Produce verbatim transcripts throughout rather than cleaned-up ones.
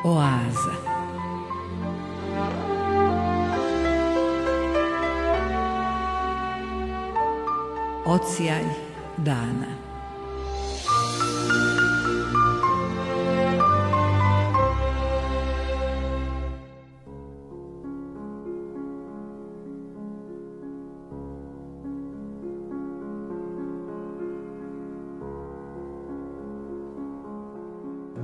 Oaza. Odsjaj dana.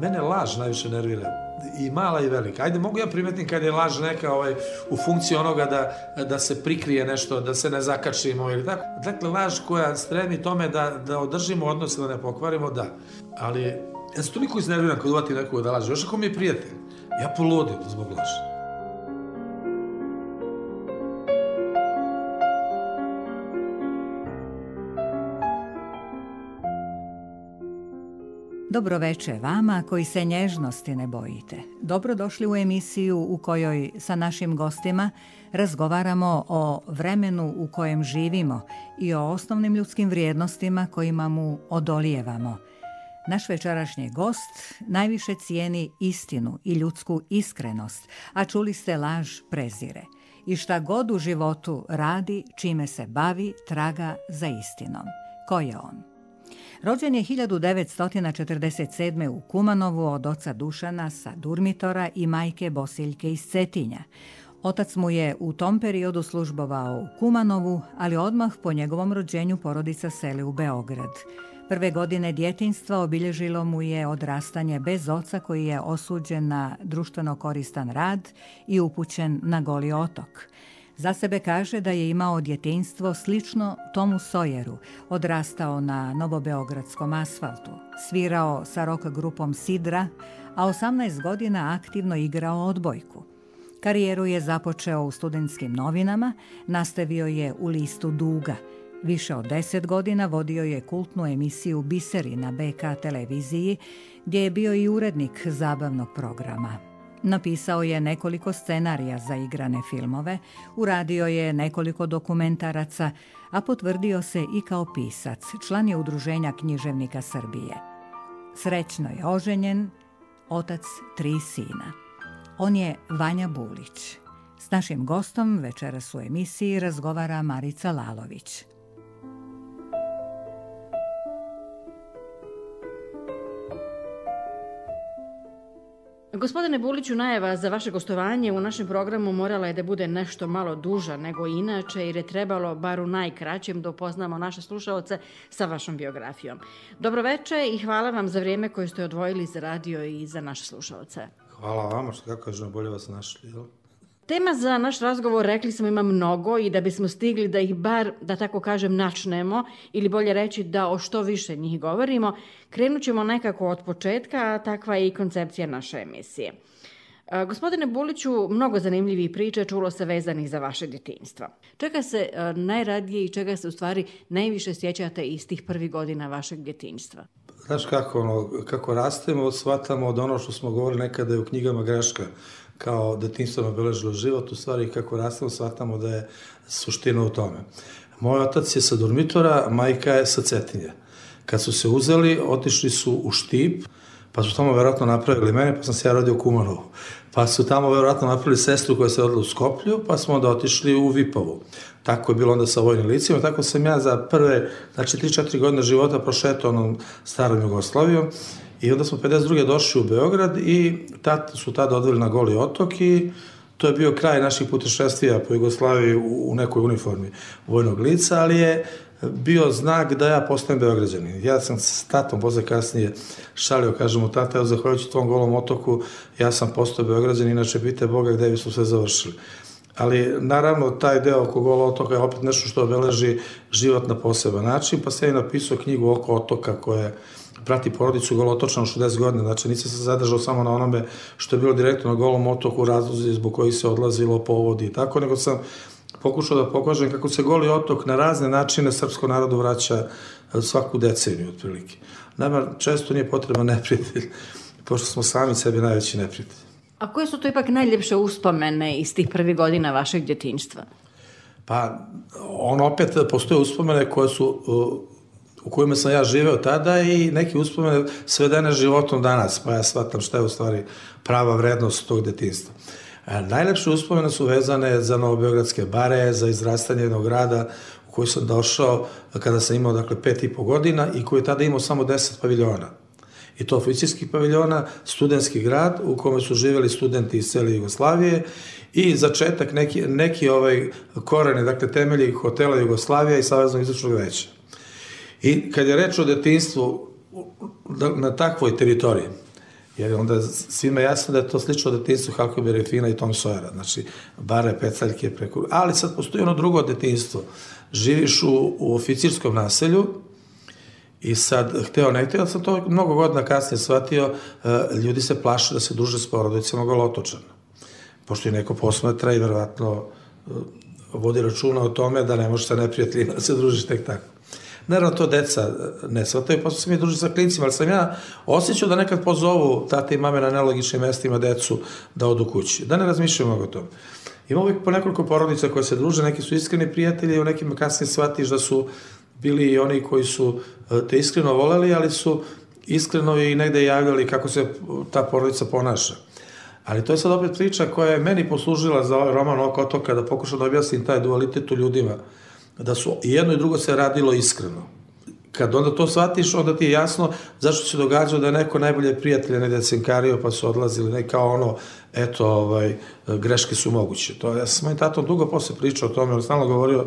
Mene laž najviše nervira, i mala i velika. Ajde, mogu ja primetim kad je laž neka ovaj, u funkciji onoga da, da se prikrije nešto, da se ne zakačimo ili tako. Dakle, laž koja stremi tome da, da održimo odnose, da ne pokvarimo, da. Ali ja se toliko iznerviram kad uvati nekoga da laže. Još ako mi je prijatelj, ja poludim zbog laži. Dobroveče vama koji se nježnosti ne bojite. Dobrodošli u emisiju u kojoj sa našim gostima razgovaramo o vremenu u kojem živimo i o osnovnim ljudskim vrijednostima kojima mu odolijevamo. Naš večerašnji gost najviše cijeni istinu i ljudsku iskrenost, a čuli ste laž prezire. I šta god u životu radi, čime se bavi, traga za istinom. Ko je on? Rođen je hiljadu devetsto četrdeset sedme. u Kumanovu od oca Dušana sa Durmitora i majke Bosiljke iz Cetinja. Otac mu je u tom periodu službovao u Kumanovu, ali odmah po njegovom rođenju porodica seli u Beograd. Prve godine djetinjstva obilježilo mu je odrastanje bez oca koji je osuđen na društveno koristan rad i upućen na Goli otok. Za sebe kaže da je imao djetinjstvo slično Tomu Sawyeru, odrastao na novobeogradskom asfaltu, svirao sa rock grupom Sidra, a osamnaest godina aktivno igrao odbojku. Karijeru je započeo u studentskim novinama, nastavio je u listu Duga. Više od deset godina vodio je kultnu emisiju Biseri na be ka televiziji, gdje je bio i urednik zabavnog programa. Napisao je nekoliko scenarija za igrane filmove, uradio je nekoliko dokumentaraca, a potvrdio se i kao pisac, član je Udruženja književnika Srbije. Srećno je oženjen, otac tri sina. On je Vanja Bulić. S našim gostom večeras u emisiji razgovara Marica Lalović. Gospodine Buliću, najava za vaše gostovanje u našem programu morala je da bude nešto malo duža nego inače, jer je trebalo, bar u najkraćem, da upoznamo naše slušaoce sa vašom biografijom. Dobroveče i hvala vam za vrijeme koje ste odvojili za radio i za naše slušaoce. Hvala vama, što kako kažem, bolje vas našli, jel? Tema za naš razgovor, rekli smo, ima mnogo i da bismo stigli da ih bar, da tako kažem, načnemo, ili bolje reći da o što više njih govorimo, krenut ćemo nekako od početka, a takva je i koncepcija naše emisije. E, gospodine Buliću, mnogo zanimljivih priča čulo se vezanih za vaše djetinjstvo. Čega se e, najradije i čega se u stvari najviše sjećate iz tih prvih godina vašeg djetinjstva? Znaš kako, ono, kako rastemo, shvatamo od ono što smo govorili nekada je u knjigama greška, kao detinjstvo nam obeležilo život, u stvari kako rastemo, shvatamo da je suština u tome. Moj otac je sa Durmitora, majka je sa Cetinja. Kad su se uzeli, otišli su u Štip, pa su tamo verovatno napravili mene, pa sam se ja rodio u Kumanovu. Pa su tamo verovatno napravili sestru koja se rodila u Skoplju, pa smo onda otišli u Vipovu. Tako je bilo onda sa vojnim licima, tako sam ja za prve, znači tri četiri godine života prošetao onom starom Jugoslavijom. I onda smo pedeset druge došli u Beograd i tat, su tada odveli na Goli otok i to je bio kraj naših putešestvija po Jugoslaviji u, u nekoj uniformi vojnog lica, ali je bio znak da ja postajem Beograđanin. Ja sam s tatom posle kasnije šalio, kažemo, tata, evo, zahvaljujući tvom Golom otoku, ja sam postao Beograđanin, inače pite Boga gde bi su sve završili. Ali naravno taj deo oko Gola otoka je opet nešto što obeleži život na poseban način, pa sam ja napisao knjigu Oko otoka koja prati porodicu Golotočana šezdeset godina, znači nisam se zadržao samo na onome što je bilo direktno na Golom otoku, razlozi zbog kojih se odlazilo, povodi i tako, nego sam pokušao da pokažem kako se Goli otok na razne načine srpskom narodu vraća svaku deceniju otprilike. Nama često nije potreban neprijatelj, pošto smo sami sebi najveći neprijatelj. A koje su to ipak najljepše uspomene iz tih prvih godina vašeg djetinjstva? Pa, on opet postoje uspomene koje su uh, u kojima sam ja živeo tada i neki uspomene svedene životom danas, pa ja shvatam šta je u stvari prava vrednost tog detinjstva. Najlepše uspomene su vezane za novobeogradske bare, za izrastanje jednog grada u koji sam došao kada sam imao, dakle, pet i po godina i koji je tada imao samo deset paviljona. I to oficirskih paviljona, studentski grad u kome su živjeli studenti iz cele Jugoslavije i začetak, neki, neki ovaj koreni, dakle, temelji hotela Jugoslavija i Saveznog izvršnog veća. I kad je reč o detinjstvu na takvoj teritoriji, jer onda svima jasno da je to slično detinjstvu Huckleberry Finna i Tom Sawyera, znači bare, pecaljke, preko... Ali sad postoji ono drugo detinjstvo. Živiš u, u oficirskom naselju i sad, hteo ne hteo, sam to mnogo godina kasnije shvatio, ljudi se plaše da se druže s porodicama Golotočana. Pošto je neko posmatra i verovatno vodi računa o tome da ne može sa neprijateljima da se družiš tek tako. Naravno, to deca ne shvataju, pa su se mi družili sa klincima, ali sam ja osjećao da nekad pozovu tate i mame na nelogičnim mestima decu da odu kući, da ne razmišljaju mnogo o tome. Ima uvijek po nekoliko porodica koje se druže, neki su iskreni prijatelji, u nekim kasnije shvatiš da su bili i oni koji su te iskreno voleli, ali su iskreno i negde javljali kako se ta porodica ponaša. Ali to je sad opet priča koja je meni poslužila za ovaj roman Oko otoka, da pokušam da objasnim taj dualitet u ljudima, da su i jedno i drugo se radilo iskreno. Kad onda to shvatiš, onda ti je jasno zašto se događao da je neko najbolje prijatelje negde cenkario pa su odlazili, ne kao ono, eto, ovaj, greške su moguće. To, ja sam s mojim tatom dugo posle pričao o tome, on stalno govorio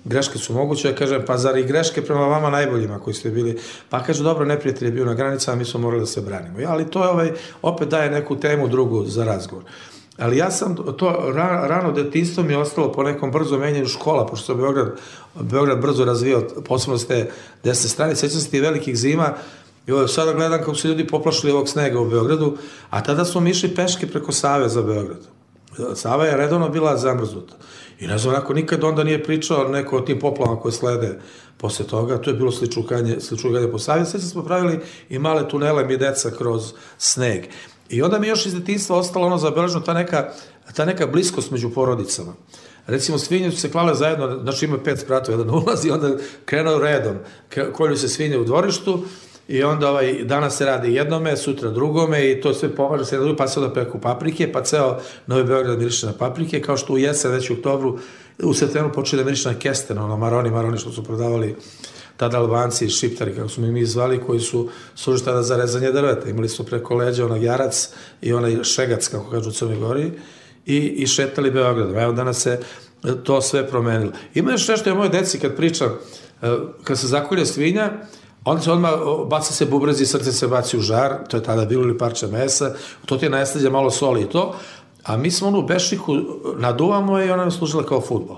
greške su moguće, ja kažem, pa zar i greške prema vama najboljima koji ste bili, pa kaže, dobro, neprijatelj je bio na granicama, mi smo morali da se branimo. Ja, ali to je, ovaj, opet daje neku temu drugu za razgovor. Ali ja sam, to rano detinjstvo mi je ostalo po nekom brzo menjanju škola, pošto se Beograd, Beograd brzo razvijao, posebno s te desne strane, sećam se ti velikih zima, i ovo, sada gledam kako se ljudi poplašili ovog snega u Beogradu, a tada smo mi išli peške preko Save za Beograd. Sava je redovno bila zamrznuta. I ne znam, onako nikad onda nije pričao neko o tim poplavama koje slede posle toga, to je bilo sličukanje, sličukanje po Savi, sve smo pravili i male tunele mi deca kroz sneg. I onda mi još iz detinjstva ostalo ono zabeleženo, ta neka, ta neka bliskost među porodicama. Recimo, svinje su se klale zajedno, znači ima pet spratova, jedan ulazi, onda krenuo redom, kolju se svinje u dvorištu i onda ovaj, danas se radi jednome, sutra drugome i to sve pomaže se na drugu, pa se onda peku paprike, pa ceo Novi Beograd miriše na paprike, kao što u jesen, već u oktobru, u septembru počeli da miriše na kesten, ono, maroni, maroni što su prodavali tada Albanci i Šiptari, kako su mi mi zvali, koji su služili tada za rezanje drveta. Imali su preko leđa onaj jarac i onaj šegac, kako kažu u Crnoj Gori, i, i šetali Beogradom. Evo, danas se to sve promenilo. Ima još nešto, ja moje deci kad pričam, kad se zakolje svinja, onda se odmah baca se bubrezi, srce se baci u žar, to je tada bilo ili parče mesa, to ti je najslađe malo soli i to, a mi smo onu bešiku naduvamo i ona je služila kao fudbal.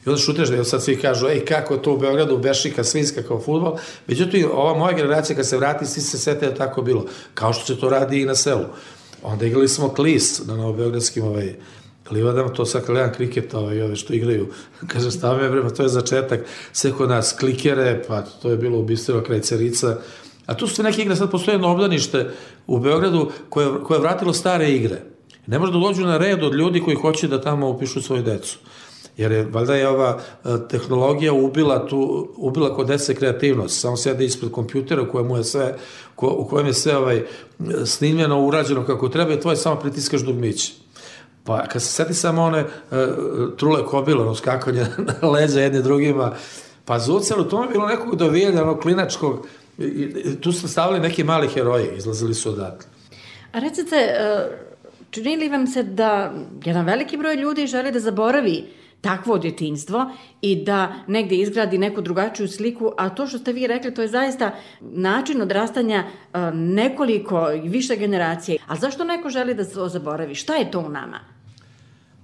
I onda šuteš da sad svi kažu, ej, kako je to u Beogradu bešika svinjska kao fudbal. Međutim, ova moja generacija kad se vrati, svi se sete da tako bilo. Kao što se to radi i na selu. Onda igrali smo klis na novobeogradskim ovaj, livadama, to sad gledam kriketa, ovaj, ove što igraju. Kažem, stavim je vrema, to je začetak. Sve kod nas klikere, pa to je bilo ubistveno kraj Cerica. A tu su neke igre, sad postoje jedno obdanište u Beogradu koje, koje je vratilo stare igre. Ne može da dođu na red od ljudi koji hoće da tamo upišu svoju decu. Jer je, valjda je ova tehnologija ubila, tu, ubila kod dece kreativnost. Samo sede ispred kompjutera u kojem je sve, ko, u kojem je sve ovaj, snimljeno, urađeno kako treba i tvoje samo pritiskaš dugmiće. Pa kad se seti samo one uh, trule kobile, ono skakanje na leđa jedni drugima, pa za ucelu, to je bilo nekog dovijanja, ono klinačkog, i, i, tu su stavili neki mali heroji, izlazili su odatle. A recite, čini li vam se da jedan veliki broj ljudi želi da zaboravi takvo djetinjstvo i da negde izgradi neku drugačiju sliku, a to što ste vi rekli, to je zaista način odrastanja nekoliko i više generacije. A zašto neko želi da se zaboravi? Šta je to u nama?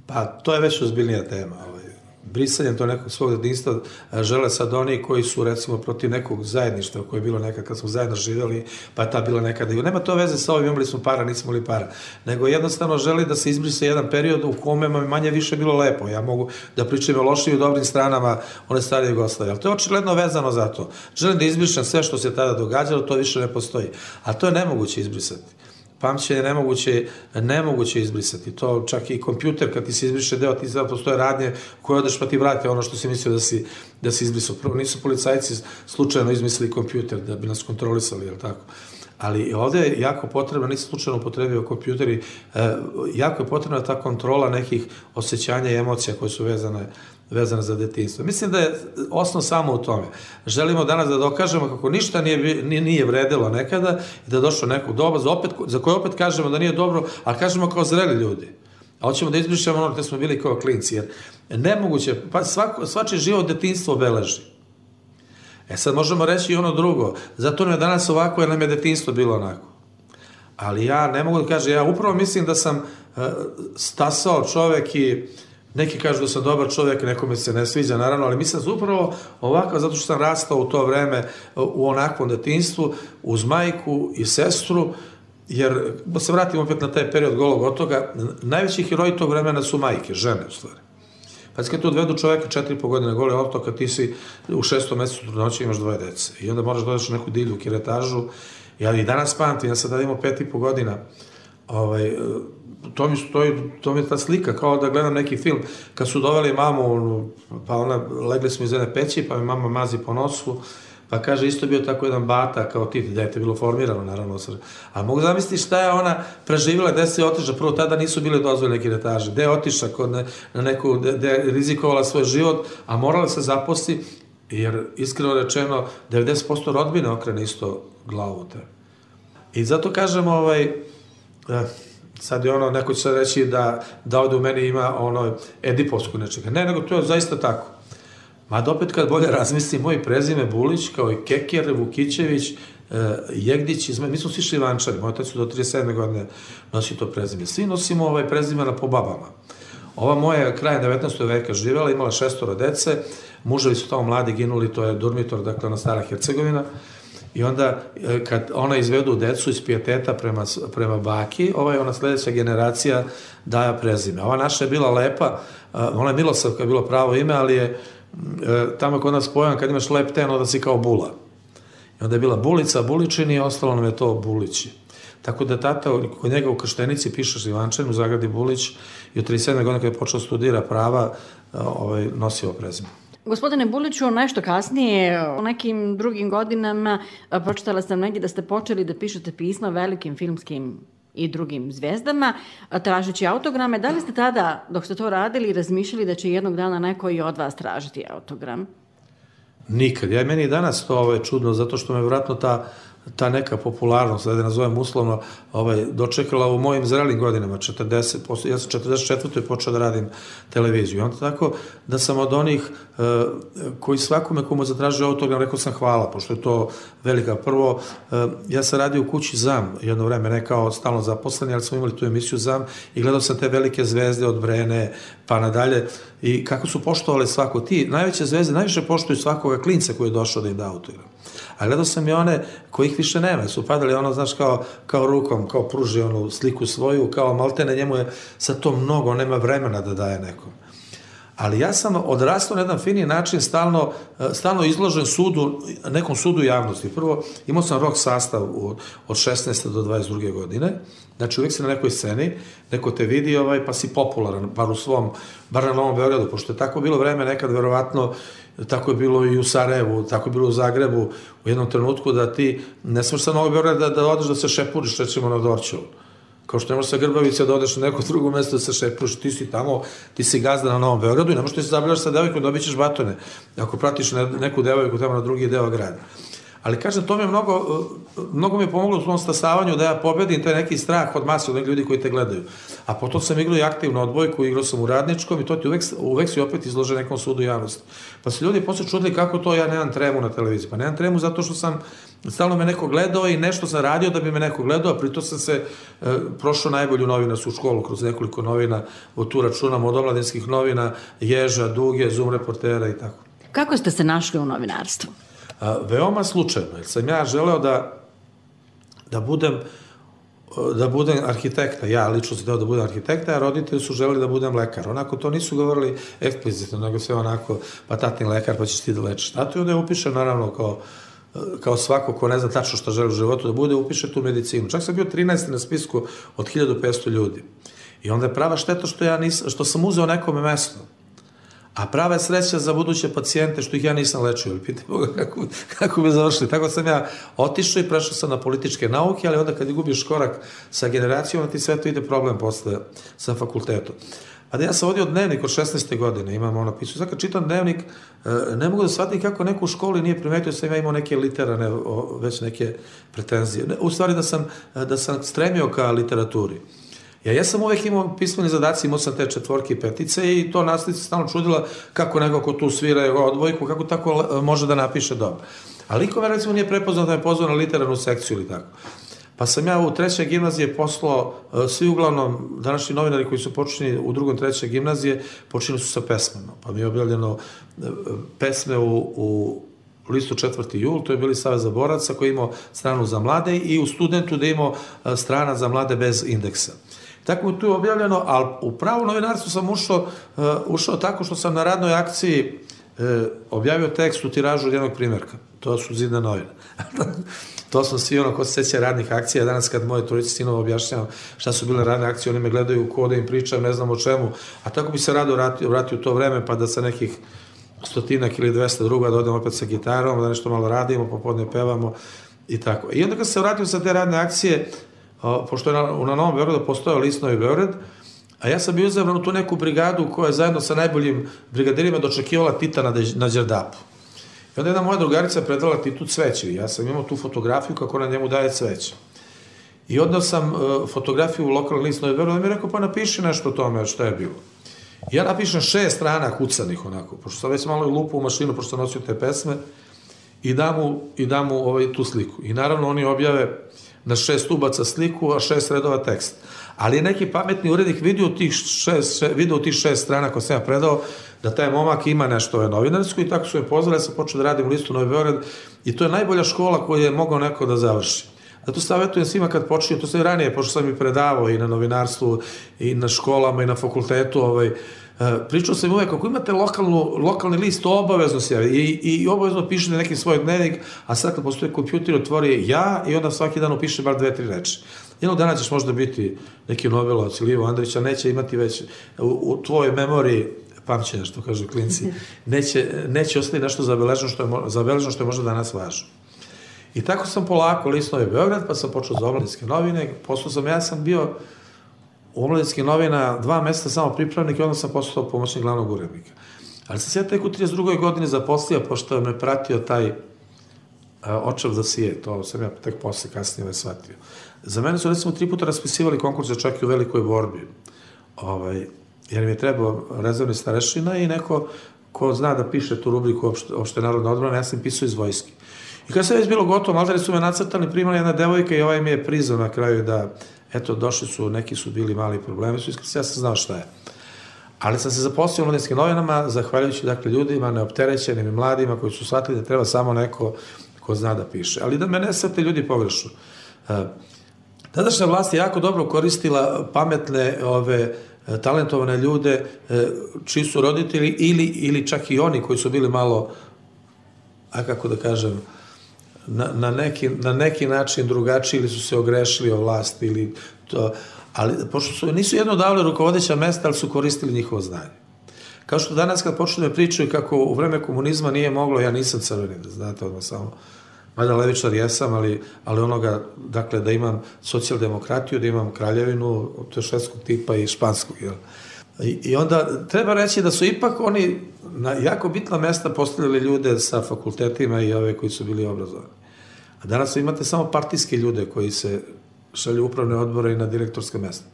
Pa, to je već ozbiljnija tema. Ovaj. Brisanjem to nekog svog djetinjstva žele sad oni koji su, recimo, protiv nekog zajedništva koje je bilo nekad kad smo zajedno živjeli, pa je ta bila nekada. Nema to veze sa ovim, imali smo para, nismo li para. Nego jednostavno želi da se izbrise jedan period u kome manje više bilo lepo. Ja mogu da pričam o lošim i dobrim stranama one stare Jugoslavije. Ali to je očigledno vezano za to. Želim da izbrišem sve što se tada događalo, to više ne postoji. A to je nemoguće izbrisati. pamćenje je nemoguće, nemoguće izbrisati. To čak i kompjuter, kad ti se izbriše deo, ti sad postoje radnje koje odeš pa ti vrati ono što si mislio da si, da si izbrisao. Prvo, nisu policajci slučajno izmislili kompjuter da bi nas kontrolisali, jel tako? Ali ovde je jako potrebno, nisam slučajno upotrebio kompjuteri, jako je potrebna ta kontrola nekih osjećanja i emocija koje su vezane vezana za detinjstvo. Mislim da je osnov samo u tome. Želimo danas da dokažemo kako ništa nije, nije vredilo nekada i da je došlo nekog doba za, opet, za koje opet kažemo da nije dobro, a kažemo kao zreli ljudi. A hoćemo da izbrišemo ono gde smo bili kao klinci, jer nemoguće, pa svako, svači život detinjstvo obeleži. E sad možemo reći i ono drugo, zato nam je danas ovako jer nam je detinjstvo bilo onako. Ali ja ne mogu da kažem, ja upravo mislim da sam uh, stasao čovek i neki kažu da sam dobar čovjek, nekome se ne sviđa, naravno, ali mislim da sam upravo ovakav, zato što sam rastao u to vreme u onakvom detinjstvu, uz majku i sestru, jer, da se vratim opet na taj period golog otoga, najveći heroji tog vremena su majke, žene u stvari. Pa kad tu odvedu čovjeka četiri i po godine goli otok, kad ti si u šestom mesecu trudnoće imaš dvoje dece i onda moraš da odeš u neku divlju kiretažu. Ja i danas pamtim, ja sad da imam pet i po godina, ovaj, to mi, stoji, to mi je ta slika, kao da gledam neki film, kad su doveli mamu, pa ona, legli smo iz jedne peći, pa mi mama mazi po nosu, pa kaže, isto bio tako jedan bata, kao ti, dete, bilo formirano, naravno, ali mogu zamisliti šta je ona preživjela, gde se je otišla, prvo tada nisu bile dozvoljene kiretaže, gde je otišla kod ne, na neku, gde je rizikovala svoj život, a morala se zaposli, jer, iskreno rečeno, devedeset posto rodbine okrene isto glavu te. I zato kažem, ovaj, sad je ono, neko će sad reći da, da ovde u meni ima ono edipovsku nečega. Ne, nego to je zaista tako. Mada opet kad bolje razmislim, moji prezime Bulić, kao i Keker, Vukićević, e, Jegdić, izme, mi smo svi Šlivančani, moj otac su do trideset sedme godine nosi to prezime. Svi nosimo ovaj prezimena po babama. Ova moja krajem devetnaestog veka živjela, imala šestoro dece, muževi su tamo mladi ginuli, to je Durmitor, dakle ona stara Hercegovina. I onda, kad ona izvedu decu iz pijeteta prema, prema baki, ovaj, ona sledeća generacija daja prezime. Ova naša je bila lepa, ona je Milosavka, je bilo pravo ime, ali je tamo kod nas pojam, kad imaš lep ten, onda si kao Bula. I onda je bila Bulica, Buličin i ostalo nam je to Bulići. Tako da tata, kod njega u Krštenici piše Šlivančan, u zagradi Bulić, i od trideset sedme godine kada je počeo studira prava, ovaj, nosio prezime. Gospodine Buliću, nešto kasnije, u nekim drugim godinama, pročitala sam negdje da ste počeli da pišete pisma velikim filmskim i drugim zvijezdama, tražeći autograme. Da li ste tada, dok ste to radili, razmišljali da će jednog dana neko i od vas tražiti autogram? Nikad. Ja, meni i danas to ovaj, čudno, zato što me vratno ta ta neka popularnost, da je nazovem uslovno, ovaj, dočekala u mojim zrelim godinama, četrdeset, ja sam četrdeset četvrtoj počeo da radim televiziju. I onda tako da sam od onih uh, koji svakome komu zatražio autogram, rekao sam hvala, pošto je to velika. Prvo, uh, ja sam radio u kući ZAM jedno vreme, ne kao stalno zaposleni, ali smo imali tu emisiju ZAM i gledao sam te velike zvezde od Brene pa nadalje i kako su poštovali svako. Ti najveće zvezde najviše poštuju svakoga klinca koji je došao da im da autogram. A gledao sam i one kojih više nema, su padali ono, znaš, kao, kao rukom, kao pruži onu sliku svoju, kao maltene, njemu je sad to mnogo, nema vremena da daje nekom. Ali ja sam odrastao na jedan fini način, stalno, stalno izložen sudu, nekom sudu javnosti. Prvo, imao sam rock sastav od šesnaeste do dvadeset druge godine, znači uvijek si na nekoj sceni, neko te vidi, ovaj, pa si popularan, bar u svom, bar na Novom Beogradu, pošto je tako bilo vreme nekad, verovatno, tako je bilo i u Sarajevu, tako je bilo u Zagrebu, u jednom trenutku da ti ne smeš sa Novog Beograda da, da odeš da se šepuriš, recimo na Dorćolu. Kao što ne možeš sa Grbavice da odeš na neko drugo mesto da se šepuriš, ti si tamo, ti si gazda na Novom Beogradu i ne možeš da se zabljaš sa devojkom, dobit ćeš batone, ako pratiš neku devojku tamo na drugi deo grada. Ali kažem, to mi je mnogo, mnogo mi je pomoglo u svom stasavanju da ja pobedim taj neki strah od mase, od nekih ljudi koji te gledaju. A potom sam igrao i aktivno odbojku, igrao sam u Radničkom i to ti uvek, uvek si opet izložen nekom sudu javnosti. Pa se ljudi posle čudili kako to ja nemam tremu na televiziji. Pa nemam tremu zato što sam, stalno me neko gledao i nešto sam radio da bi me neko gledao, a pritom sam se e, prošao najbolju novinarsku školu kroz nekoliko novina, od tu računam od omladinskih novina, Ježa, Duge, Zum reportera i tako. Kako ste se našli u novinarstvu? A, veoma slučajno, jer sam ja želeo da, da budem da budem arhitekta, ja lično sam teo da budem arhitekta, a roditelji su želeli da budem lekar. Onako to nisu govorili eksplicitno, nego sve onako, pa tatin lekar, pa ćeš ti da lečiš. Zato i onda je upišem naravno kao kao svako ko ne zna tačno što želi u životu da bude, upiše tu medicinu. Čak sam bio trinaesti na spisku od hiljadu petsto ljudi. I onda je prava šteta što, ja nisam, što sam uzeo nekome mesto. A prava je sreća za buduće pacijente što ih ja nisam lečio. Pitaj Boga kako, kako bi završili. Tako sam ja otišao i prešao sam na političke nauke, ali onda kad gubiš korak sa generacijom, ti sve to ide problem posle sa fakultetom. A da ja sam vodio dnevnik od šesnaeste godine, imam ono pisao. Sad kad čitam dnevnik, ne mogu da shvatim kako neko u školi nije primetio da sam ja imao neke literarne, već neke pretenzije. U stvari da sam, da sam stremio ka literaturi. Ja, ja sam uvek imao pismeni zadaci, imao sam te četvorke i petice i to nastavnica stalno čudila kako neko ko tu svira odbojku, kako tako može da napiše dobro. A liko me recimo nije prepoznao da me pozvao na literarnu sekciju ili tako. Pa sam ja u trećoj gimnazije poslao, svi uglavnom današnji novinari koji su počinjeni u drugom trećoj gimnazije, počinili su sa pesmama. Pa mi je objavljeno pesme u, u listu četvrti jul, to je bili Savez za boraca koji je imao stranu za mlade i u Studentu da je imao strana za mlade bez indeksa. Tako je tu objavljeno, ali u pravu novinarstvu sam ušao, uh, ušao tako što sam na radnoj akciji uh, objavio tekst u tiražu od jednog primjerka. To su Zidne novine. To smo svi ono ko se seća radnih akcija. Danas kad moje trojice sinova objašnjavam šta su bile radne akcije, oni me gledaju ko da im pričam, ne znam o čemu. A tako bi se rado vratio, vratio u to vreme pa da sa nekih stotinak ili dvesta druga da odem opet sa gitarom, da nešto malo radimo, popodne pevamo i tako. I onda kad se vratio sa te radne akcije, pošto je na, na Novom Beogradu postojao list Novi Beograd, a ja sam bio izabran u tu neku brigadu koja je zajedno sa najboljim brigadirima dočekivala Tita na, na Đerdapu. I onda jedna moja drugarica predala Titu cveće. Ja sam imao tu fotografiju kako na njemu daje cveće. I odnao sam uh, fotografiju u lokalni list Novi Beograd i mi je rekao pa napiši nešto o tome šta je bilo. I ja napišem šest strana kucanih onako, pošto sam već malo lupu u mašinu, pošto sam nosio te pesme, i dam mu, i dam mu ovaj, tu sliku. I naravno oni objave na šest ubaca sliku, a šest redova tekst. Ali je neki pametni urednik vidio tih šest, še, video tih šest strana koje sam ja predao, da taj momak ima nešto novinarsko i tako su me pozvali, ja sam počeo da radim u listu Novi Beograd i to je najbolja škola koju je mogao neko da završi. Zato savjetujem svima kad počinju, to sam i ranije, pošto sam i predavao i na novinarstvu, i na školama, i na fakultetu, ovaj, pričao sam uvek, ako imate lokalnu, lokalni list, to obavezno se javi i, i obavezno pišete neki svoj dnevnik, a sad kad postoji kompjuter, otvori ja i onda svaki dan upiše bar dve, tri reči. Jednog dana ćeš možda biti neki Nobelovac ili Ivo Andrić, a neće imati već u, u tvojoj memoriji pamćenja, što kažu klinci, neće, neće ostati nešto zabeleženo što je, zabeleženo što je možda danas važno. I tako sam polako list Novi Beograd, pa sam počeo za omladinske novine, postao sam, ja sam bio u omladinskim novina dva meseca samo pripravnik i onda sam postao pomoćnik glavnog urednika. Ali sam se ja tek u trideset drugoj godini zaposlio, pošto me pratio taj očev da sije, to sam ja tek posle kasnije ne shvatio. Za mene su recimo tri puta raspisivali konkurse čak i u velikoj borbi, ovaj, jer mi je trebao rezervni starešina i neko ko zna da piše tu rubriku opšte, opšte narodna odbrana, ja sam pisao iz vojske. I kada se već bilo gotovo, maltene su me nacrtali, primali jedna devojka i ovaj mi je priznao na kraju da, eto, došli su, neki su bili mali problemi, su iskreno, ja sam znao šta je. Ali sam se zaposlio u Omladinskim novinama, zahvaljujući, dakle, ljudima, neopterećenim i mladima koji su shvatili da treba samo neko ko zna da piše. Ali da me ne shvate ljudi pogrešu. Tadašnja vlast je jako dobro koristila pametne, ove, talentovane ljude, čiji su roditelji ili, ili čak i oni koji su bili malo, a kako da kažem, na, na, neki, na neki način drugačiji ili su se ogrešili o vlast ili to, ali pošto su, nisu jedno davali rukovodeća mesta, ali su koristili njihovo znanje. Kao što danas kad počnu da pričaju kako u vreme komunizma nije moglo, ja nisam crveni, da znate odmah samo, mada levičar jesam, ali, ali onoga, dakle, da imam socijaldemokratiju, da imam kraljevinu, to je švedskog tipa i španskog, jel? I, I onda treba reći da su ipak oni na jako bitna mesta postavljali ljude sa fakultetima i ove koji su bili obrazovani. A danas imate samo partijske ljude koji se šalju upravne odbore i na direktorske mesta.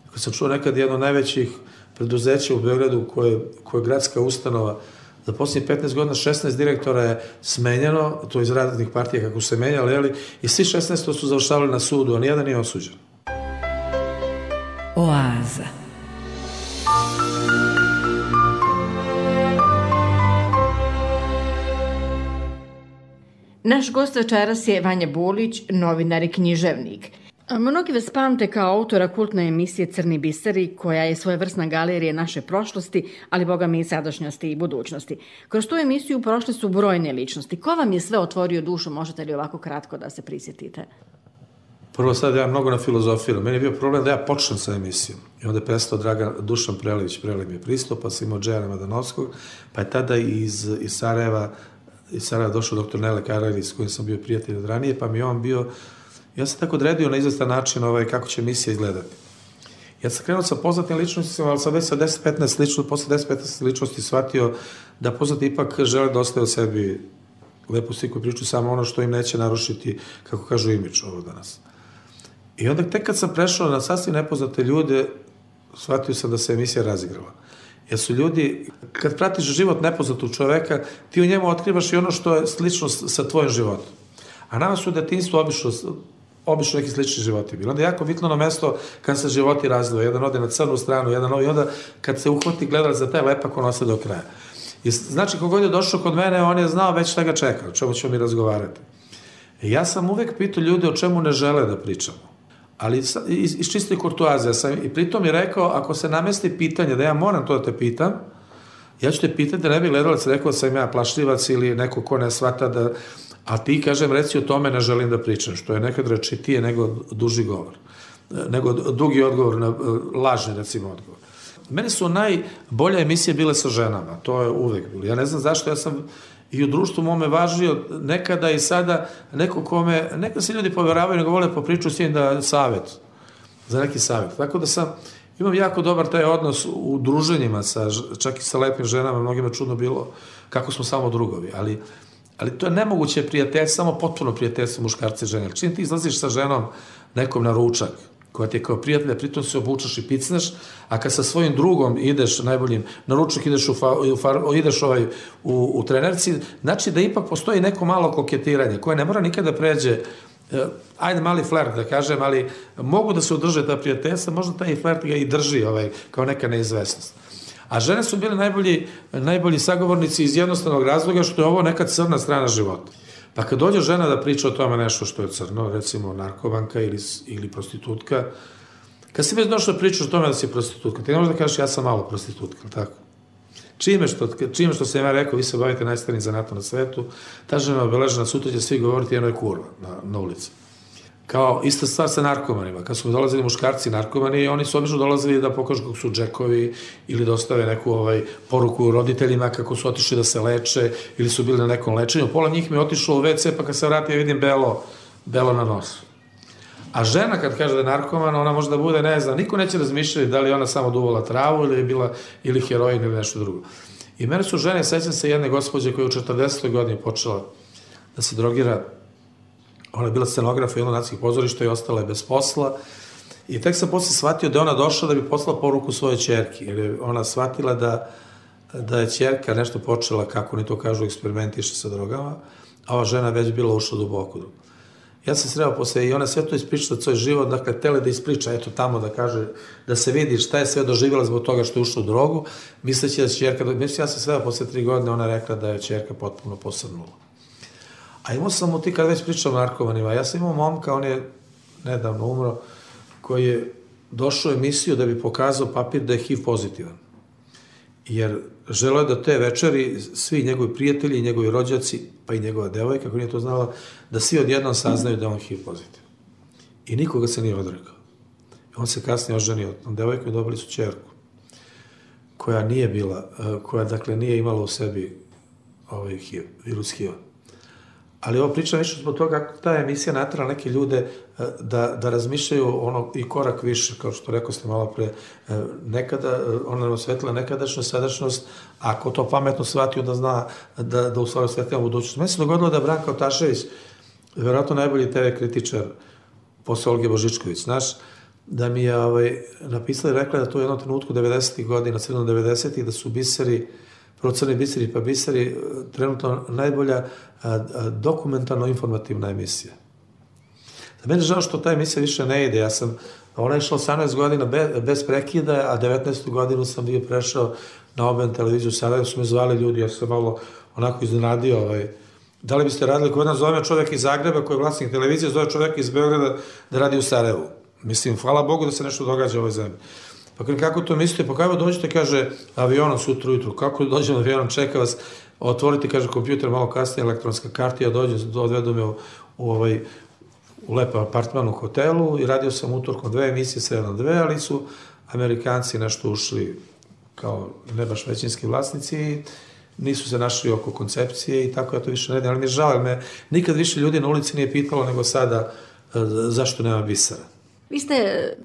Ako sam čuo nekad jedno najvećih preduzeća u Beogradu koje, koje je gradska ustanova, za posljednjih petnaest godina šesnaest direktora je smenjeno, to iz raznih partija kako su se menjali, ali i svi šesnaest su završavali na sudu, a nijedan nije osuđen. Oaza. Naš gost večeras je Vanja Bulić, novinar i književnik. Mnogi vas pamte kao autora kultne emisije Crni biseri, koja je svojevrsna galerija naše prošlosti, ali boga mi i sadašnjosti i budućnosti. Kroz tu emisiju prošle su brojne ličnosti. Ko vam je sve otvorio dušu, možete li ovako kratko da se prisjetite? Prvo sad ja mnogo na filozofiju. Meni je bio problem da ja počnem sa emisijom. I onda je prestao Dragan Dušan Prelević, Prelev mi je pristup, pa sam imao Džejana Madanovskog, pa je tada iz, iz Sarajeva, iz Sarajeva došao doktor Nele Karajlić, s kojim sam bio prijatelj od ranije, pa mi je on bio, ja sam tako odredio na izvestan način ovaj, kako će emisija izgledati. Ja sam krenuo sa poznatim ličnostima, ali sam već sa deset petnaest ličnosti, posle deset petnaest ličnosti shvatio da poznati ipak žele da ostaju o sebi lepu sliku i priču, samo ono što im neće narušiti, kako kažu, imidž ovo danas. I onda tek kad sam prešao na sasvim nepoznate ljude, shvatio sam da se emisija razigrala. Jer su ljudi, kad pratiš život nepoznatog čoveka, ti u njemu otkrivaš i ono što je slično sa tvojim životom. A nama su u detinjstvu obično, obično neki slični životi bili. Onda je jako bitno na mesto kad se životi razlivaju. Jedan ode na crnu stranu, jedan novi, onda kad se uhvati gledalac za taj lepak, on ostaje do kraja. I znači, kogod je došao kod mene, on je znao već šta ga čeka, o čemu ćemo mi razgovarati. I ja sam uvek pitao ljude o čemu ne žele da pričamo. Ali iz, iz čiste kurtoazije sam i pritom je rekao, ako se namesti pitanje da ja moram to da te pitam, ja ću te pitati da ne bi gledalac rekao da sam ja plašljivac ili neko ko ne shvata da, a ti, kažem, reci o tome ne želim da pričam, što je nekad rečitije nego duži govor, nego dugi odgovor na lažni, recimo, odgovor. Meni su najbolje emisije bile sa ženama, to je uvek bilo. Ja ne znam zašto, ja sam i u društvu mome važio nekada i sada neko kome, neka se ljudi poveravaju, nego vole po priču s njim da savjet, za neki savjet. Tako da sam, imam jako dobar taj odnos u druženjima, sa, čak i sa lepim ženama, mnogima čudno bilo kako smo samo drugovi, ali, ali to je nemoguće prijateljstvo, samo potpuno prijateljstvo muškarca i žene. Čim ti izlaziš sa ženom nekom na ručak, koja ti je kao prijatelja, pritom se obučaš i picneš, a kad sa svojim drugom ideš najboljim na ručak, ideš, u, fa, u, far, ideš ovaj, u, u trenerci, znači da ipak postoji neko malo koketiranje, koje ne mora nikada pređe, eh, ajde mali flert da kažem, ali mogu da se održe ta prijateljstva, možda taj flert ga i drži ovaj, kao neka neizvesnost. A žene su bile najbolji, najbolji sagovornici iz jednostavnog razloga što je ovo neka crna strana života. Pa kad dođe žena da priča o tome nešto što je crno, recimo narkovanka ili, ili prostitutka, kad si već došla da pričaš o tome da si prostitutka, ti ne možeš da kažeš ja sam malo prostitutka, tako? Čime što, čime što sam ja rekao, vi se bavite najstarijim zanatom na svetu, ta žena obeležena, sutra će svi govoriti jedno je kurva na, na ulici. Kao ista stvar sa narkomanima. Kad su dolazili muškarci narkomani, oni su obično dolazili da pokažu kako su džekovi ili da ostave neku ovaj, poruku roditeljima kako su otišli da se leče ili su bili na nekom lečenju. Pola njih mi je otišlo u ve ce, pa kad se vrati ja vidim belo, belo na nosu. A žena kad kaže da je narkoman, ona može da bude, ne znam, niko neće razmišljati da li ona samo duvala travu ili je bila ili heroin ili nešto drugo. I mene su žene, sećam se jedne gospođe koja je u četrdesetoj godini počela da se drogira. Ona je bila scenograf jednog nacionalnih pozorišta i ostala je bez posla. I tek sam posle shvatio da je ona došla da bi poslala poruku svojoj ćerki, jer je ona shvatila da, da je ćerka nešto počela, kako oni to kažu, eksperimentiše sa drogama, a ova žena već bila ušla duboko. Ja sam sreo posle i ona sve to ispričala svoj život, dakle, tele da ispriča, eto tamo da kaže, da se vidi šta je sve doživjela zbog toga što je ušla u drogu, misleći da će ćerka, mislim, ja sam sreo posle tri godine, ona rekla da je ćerka potpuno posrnula. A imao sam mu ti, kad već pričam o narkomanima, ja sam imao momka, on je nedavno umro, koji je došao u emisiju da bi pokazao papir da je ha i ve pozitivan. Jer želeo je da te večeri svi njegovi prijatelji i njegovi rođaci, pa i njegova devojka, kako nije to znala, da svi odjednom saznaju da je on ha i ve pozitivan. I nikoga se nije odrekao. On se kasnije oženio od tom devojkom i dobili su ćerku, koja nije bila, koja dakle nije imala u sebi ovaj ha i ve, virus ha i ve. Ali ovo pričam više zbog toga kako ta emisija natrala neke ljude da, da razmišljaju ono i korak više, kao što rekao ste malo pre, nekada, ona nam osvetila nekadašnju sadašnjost, ako to pametno shvatio da zna da, da u stvari osvetila budućnost. Meni se dogodilo da Branka Otašević, verovatno najbolji te ve kritičar posle Olge Božičković, znaš, da mi je ovaj, napisala i rekla da to u jednom trenutku devedesetih godina, sredinom devedesetih, da su biseri, prvo Crni biseri pa biseri, trenutno najbolja dokumentarno-informativna emisija. Za mene je žao što ta emisija više ne ide. Ja sam, ona je išla osamnaest godina bez prekida, a devetnaestu godinu sam bio prešao na O B N televiziju. Sada su me zvali ljudi, ja sam malo onako iznenadio ovaj, Da li biste radili, kod nas zove čovjek iz Zagreba koji je vlasnik televizije, zove čovjek iz Beograda da radi u Sarajevu. Mislim, hvala Bogu da se nešto događa u ovoj zemlji. Pa kako to mislite? Pa kako dođete, kaže, avionom sutra ujutru. Kako dođem avionom, čeka vas, otvorite, kaže, kompjuter malo kasnije, elektronska kartija, dođem, odvedu me u, u, ovaj, u lepa apartman u hotelu i radio sam utorkom dve emisije, sedam dve, ali su Amerikanci nešto ušli kao ne baš većinski vlasnici i nisu se našli oko koncepcije i tako ja to više ne radim, ali mi je žao, jer me nikad više ljudi na ulici nije pitalo nego sada zašto nema bisera. Vi ste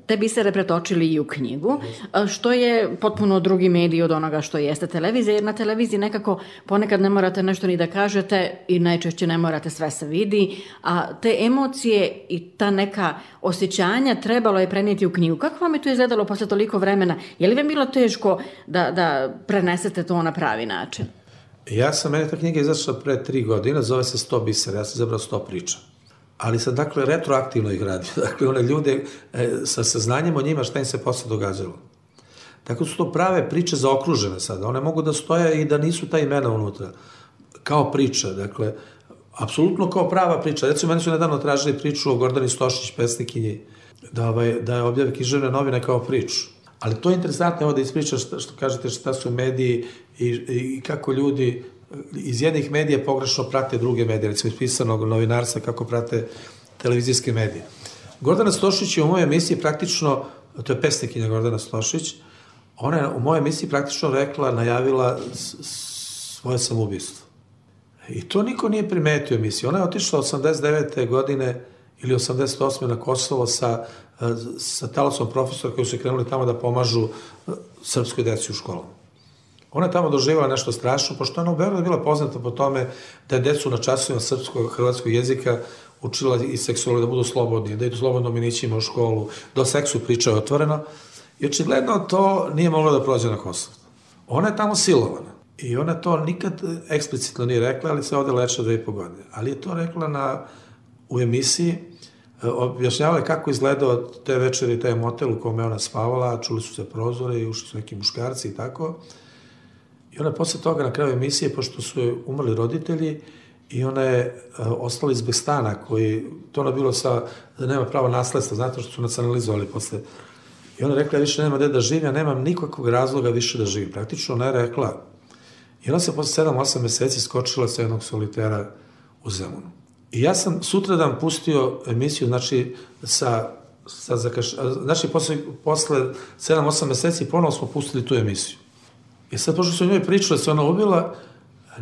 te bisere pretočili i u knjigu, što je potpuno drugi medij od onoga što jeste televizija, jer na televiziji nekako ponekad ne morate nešto ni da kažete i najčešće ne morate, sve se vidi, a te emocije i ta neka osjećanja trebalo je prenijeti u knjigu. Kako vam je to izgledalo posle toliko vremena? Je li vam bilo teško da, da prenesete to na pravi način? Ja sam, meni ta knjiga izašla pre tri godine, zove se sto bisera, ja sam zabrao sto priča. Ali sam, dakle, retroaktivno ih radio. Dakle, one ljude e, sa saznanjem o njima šta im se posle događalo. Tako su to prave priče zaokružene sada. One mogu da stoje i da nisu ta imena unutra. Kao priča, dakle, apsolutno kao prava priča. Recimo, meni su nedavno tražili priču o Gordani Stošić, pesnikinji, da, ovaj, da je objave književne novine kao priču. Ali to je interesantno, evo da ispričaš što, što kažete šta su mediji i, i kako ljudi iz jednih medija pogrešno prate druge medije, recimo iz pisanog novinarstva kako prate televizijske medije. Gordana Stošić je u mojoj emisiji praktično, to je pesnikinja Gordana Stošić, ona je u mojoj emisiji praktično rekla, najavila svoje samoubistvo. I to niko nije primetio u emisiji. Ona je otišla osamdeset devete godine ili osamdeset osme na Kosovo sa, sa talosom profesora koji su krenuli tamo da pomažu srpskoj deci u školama. Ona je tamo doživjela nešto strašno, pošto ona u Beogradu bila poznata po tome da je decu na časovima srpskog, hrvatskog jezika učila i seksualno da budu slobodni, da idu slobodno minićima u školu, da o seksu pričaju otvoreno. I očigledno to nije moglo da prođe na Kosovo. Ona je tamo silovana. I ona to nikad eksplicitno nije rekla, ali se ovde leče dve i po godine. Ali je to rekla na, u emisiji, objašnjavala kako izgledao te večeri, taj motel u kome ona spavala, čuli su se prozore i ušli su neki muškarci i tako. I ona je posle toga na kraju emisije, pošto su joj umrli roditelji, i ona je ostala iz bez stana, koji, to ono bilo sa, da nema pravo nasledstva, znate što su nacionalizovali posle. I ona je rekla, ja više nema gde da živim, ja nemam nikakvog razloga više da živim. Praktično ona je rekla, i ona se posle sedam osam meseci skočila sa jednog solitera u Zemunu. I ja sam sutradan pustio emisiju, znači, sa, sa zakaš... znači, posle, posle sedam osam meseci ponovo smo pustili tu emisiju. I sad, pošto su njoj pričali da se ona ubila,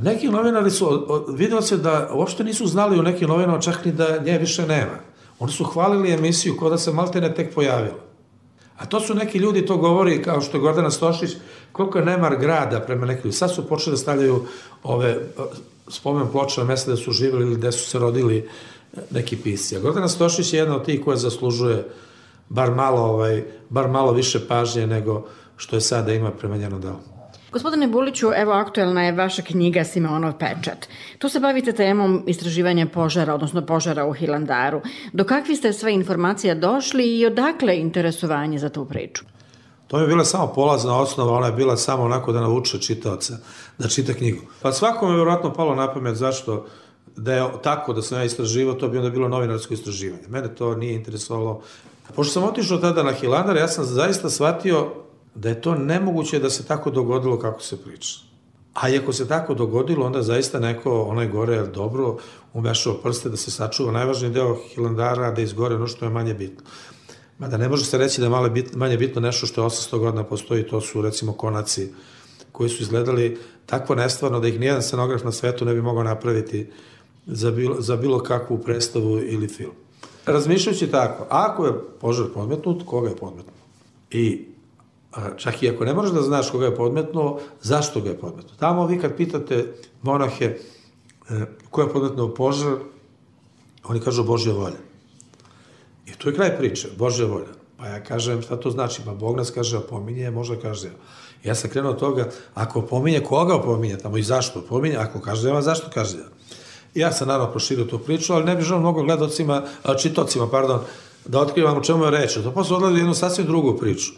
neki novinari su, vidjelo se da uopšte nisu znali u nekim novinama čak ni da nje više nema. Oni su hvalili emisiju kao da se maltene tek pojavila. A to su neki ljudi, to govori, kao što je Gordana Stošić, koliko je nemar grada prema nekim. Sad su počeli da stavljaju ove spomen ploče na mesta da su živjeli ili gde su se rodili neki pisci. A Gordana Stošić je jedna od tih koja zaslužuje bar malo, ovaj, bar malo više pažnje nego što je sada ima prema njenom delu. Gospodine Buliću, evo aktuelna je vaša knjiga Simeonov pečat. Tu se bavite temom istraživanja požara, odnosno požara u Hilandaru. Do kakvi ste sve informacija došli i odakle interesovanje za tu priču? To je bila samo polazna osnova, ona je bila samo onako da navuče čitaoca da čita knjigu. Pa svakome je vjerojatno palo na pamet zašto da je tako da sam ja istraživao, to bi onda bilo novinarsko istraživanje. Mene to nije interesovalo. Pošto sam otišao tada na Hilandar, ja sam zaista shvatio da je to nemoguće da se tako dogodilo kako se priča. A i ako se tako dogodilo, onda zaista neko, onaj gore, dobro umešao prste da se sačuva najvažniji deo Hilandara, da izgore ono što je manje bitno. Mada ne može se reći da je manje bitno nešto što je osamsto godina postoji, to su recimo konaci koji su izgledali takvo nestvarno da ih nijedan scenograf na svetu ne bi mogao napraviti za bilo, za bilo kakvu predstavu ili film. Razmišljajući tako, ako je požar podmetnut, koga je podmetnut? I čak i ako ne možeš da znaš koga je podmetnuo, zašto ga je podmetnuo? Tamo vi kad pitate monahe ko je podmetnuo požar, oni kažu Božja volja. I tu je kraj priče, Božja volja. Pa ja kažem, šta to znači? Pa Bog nas kaže, opominje, možda kaže. Ja sam krenuo od toga, ako opominje, koga opominje tamo i zašto opominje, ako kaže, zašto kaže. Ja sam naravno proširio tu priču, ali ne bih želeo mnogo gledocima, čitocima, pardon, da otkrivam o čemu je reč. To posle odlazi jednu sasvim drugu priču.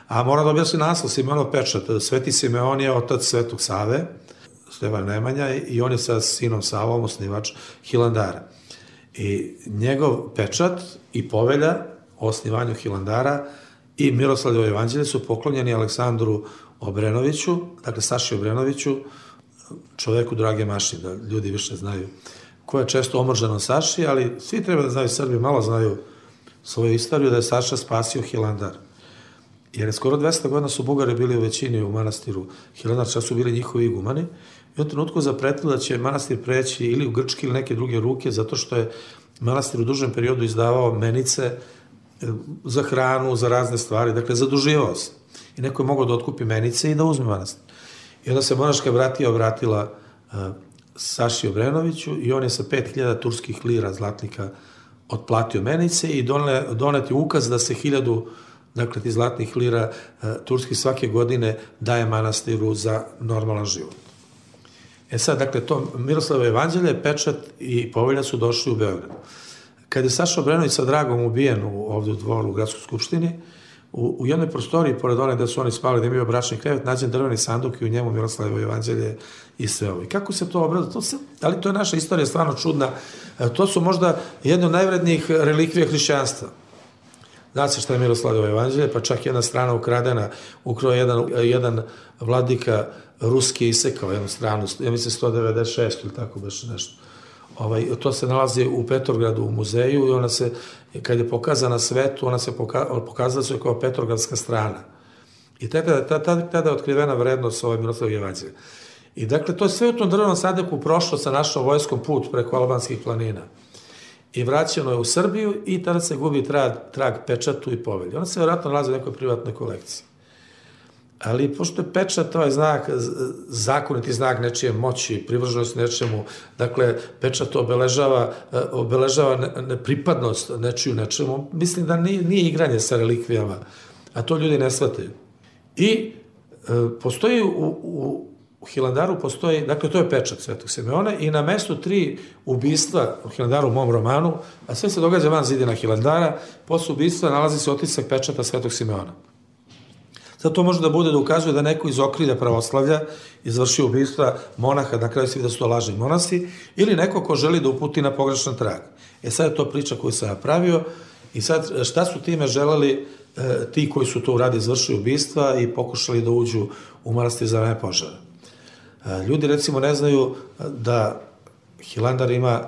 A moram da objasnim naslov, Simeonov pečat. Sveti Simeon je otac Svetog Save. Stevan Nemanja, i on je sa sinom Savom osnivač Hilandara. I njegov pečat i povelja o osnivanju Hilandara i Miroslavljevo evanđelje su poklonjeni Aleksandru Obrenoviću, dakle Saši Obrenoviću, čoveku Drage Maši, da ljudi više znaju, ko je često omržan od Saši, ali svi treba da znaju, Srbi malo znaju svoju istoriju, da je Saša spasio Hilandar. Jer skoro dvesta godina su Bugari bili u većini u manastiru Hilandar, čak su bili njihovi igumani, i u trenutku zapretili da će manastir preći ili u grčke ili neke druge ruke, zato što je manastir u dužem periodu izdavao menice za hranu, za razne stvari, dakle zaduživao se. I neko je mogao da otkupi menice i da uzme manastir. I onda se monaška bratija obratila uh, Saši Obrenoviću i on je sa pet hiljada turskih lira zlatnika otplatio menice i donet je ukaz da se hiljadu, dakle, ti zlatnih lira uh, turskih svake godine daje manastiru za normalan život. E sad, dakle, to Miroslavljevo evanđelje, pečat i povelja su došli u Beograd. Kad je Saša Obrenović sa Dragom ubijen ovde u dvoru u Gradskoj skupštini, u, u jednoj prostoriji, pored one gde su oni spali, gde je bio bračni krevet, nađen drveni sanduk i u njemu Miroslavljevo evanđelje i sve ovo. I kako se to obrada? To se, ali to je naša istorija stvarno čudna. To su možda jedne od najvrednijih relikvija hrišćanstva. Zna se šta je Miroslavljevo evanđelje, pa čak jedna strana ukradena, ukrao jedan, jedan vladika ruski isekao jednu stranu, ja mislim sto devedeset šest ili tako baš nešto. Ovaj, to se nalazi u Petrogradu u muzeju i ona se, kad je pokazana svetu, ona se poka, pokazala se kao petrogradska strana. I tada, tada, tada je otkrivena vrednost ove Miroslavljeve evanđelje. I dakle, to je sve u tom drvenom sanduku prošlo sa našom vojskom put preko albanskih planina. I vraćeno je u Srbiju i tada se gubi trag, trag pečatu i povelju. Ona se vjerojatno nalazi u nekoj privatnoj kolekciji. Ali pošto je pečat, ovaj znak, zakoniti znak nečije moći, privrženost nečemu, dakle, pečat obeležava, obeležava nepripadnost nečiju nečemu, mislim da nije, nije igranje sa relikvijama, a to ljudi ne shvataju. I e, postoji u, u, u Hilandaru, postoji, dakle, to je pečat Svetog Simeona i na mestu tri ubistva u Hilandaru, u mom romanu, a sve se događa van zidina Hilandara, posle ubistva nalazi se otisak pečata Svetog Simeona. Sad to može da bude da ukazuje da neko iz okrilja pravoslavlja izvrši ubistva monaha, na kraju se vidi da su to lažni monasi, ili neko ko želi da uputi na pogrešan trag. E sad je to priča koju sam napravio i sad šta su time želeli e, ti koji su to uradi izvršili ubistva i pokušali da uđu u manastir za vreme požara. E, ljudi recimo ne znaju da Hilandar ima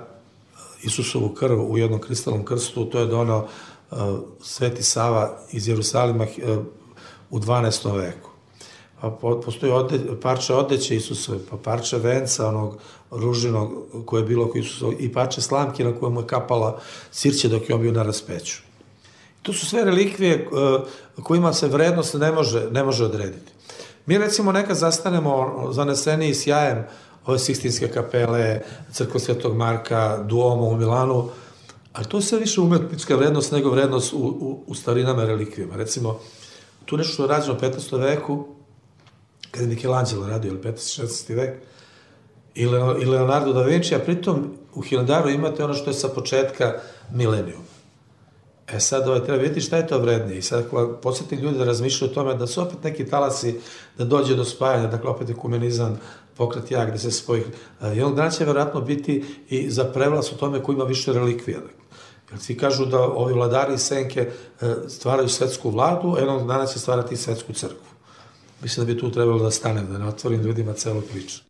Isusovu krv u jednom kristalnom krstu, to je donao e, Sveti Sava iz Jerusalima e, u dvanaestom veku. Pa postoji ode, parče odeće Isusove, pa parče venca onog ružinog koje je bilo oko Isusova i parče slamke na kojemu je kapala sirće dok je on bio na raspeću. To su sve relikvije kojima se vrednost ne može, ne može odrediti. Mi recimo nekad zastanemo zaneseni sjajem ove Sikstinske kapele, crkva Svetog Marka, Duomo u Milanu, ali to je sve više umetnička vrednost nego vrednost u, u, u starinama relikvijama. Recimo, tu nešto što je rađeno u petnaestom veku, kada je Michelangelo radio, ili petnaesti šesnaesti vek, i Leonardo da Vinci, a pritom u Hilandaru imate ono što je sa početka milenijuma. E sad ovaj, treba vidjeti šta je to vrednije. I sad ako podsjetim ljudi da razmišljaju o tome da su opet neki talasi da dođe do spajanja, dakle opet ekumenizam, pokret jak, da se spoji. Jednog dana će vjerojatno biti i za prevlas o tome ko ima više relikvija. Jer svi kažu da ovi vladari i senke stvaraju svetsku vladu, a jednog dana će stvarati i svetsku crkvu. Mislim da bi tu trebalo da stanem, da ne otvorim ljudima celu priču.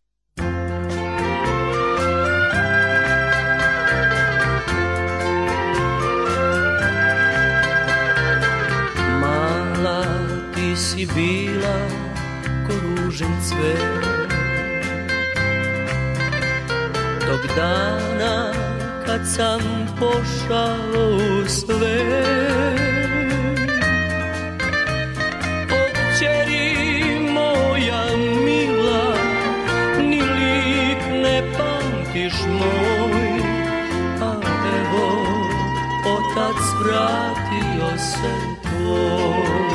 Mala ti si bila ko ružen cvet, tog dana kad sam pošao u svet. O kćeri moja mila, ni lik ne pamtiš moj, a evo otac vratio se tvoj.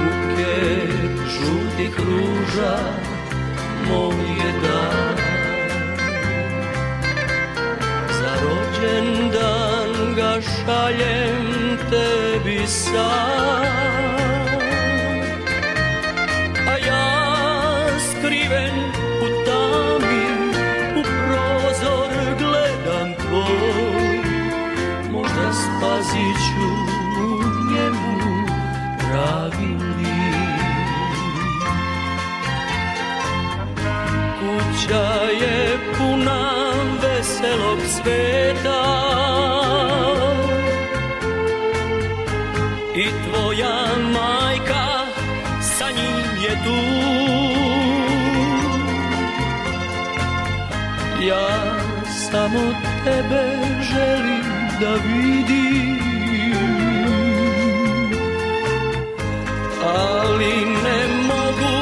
Buket žutih ruža moj je dan, rođendan ga šaljem tebi sad, a ja ću u njemu pravi lik. Kuća je puna veselog sveta i tvoja majka sa njim je tu. Ja samo tebe želim da vidim, ali ne mogu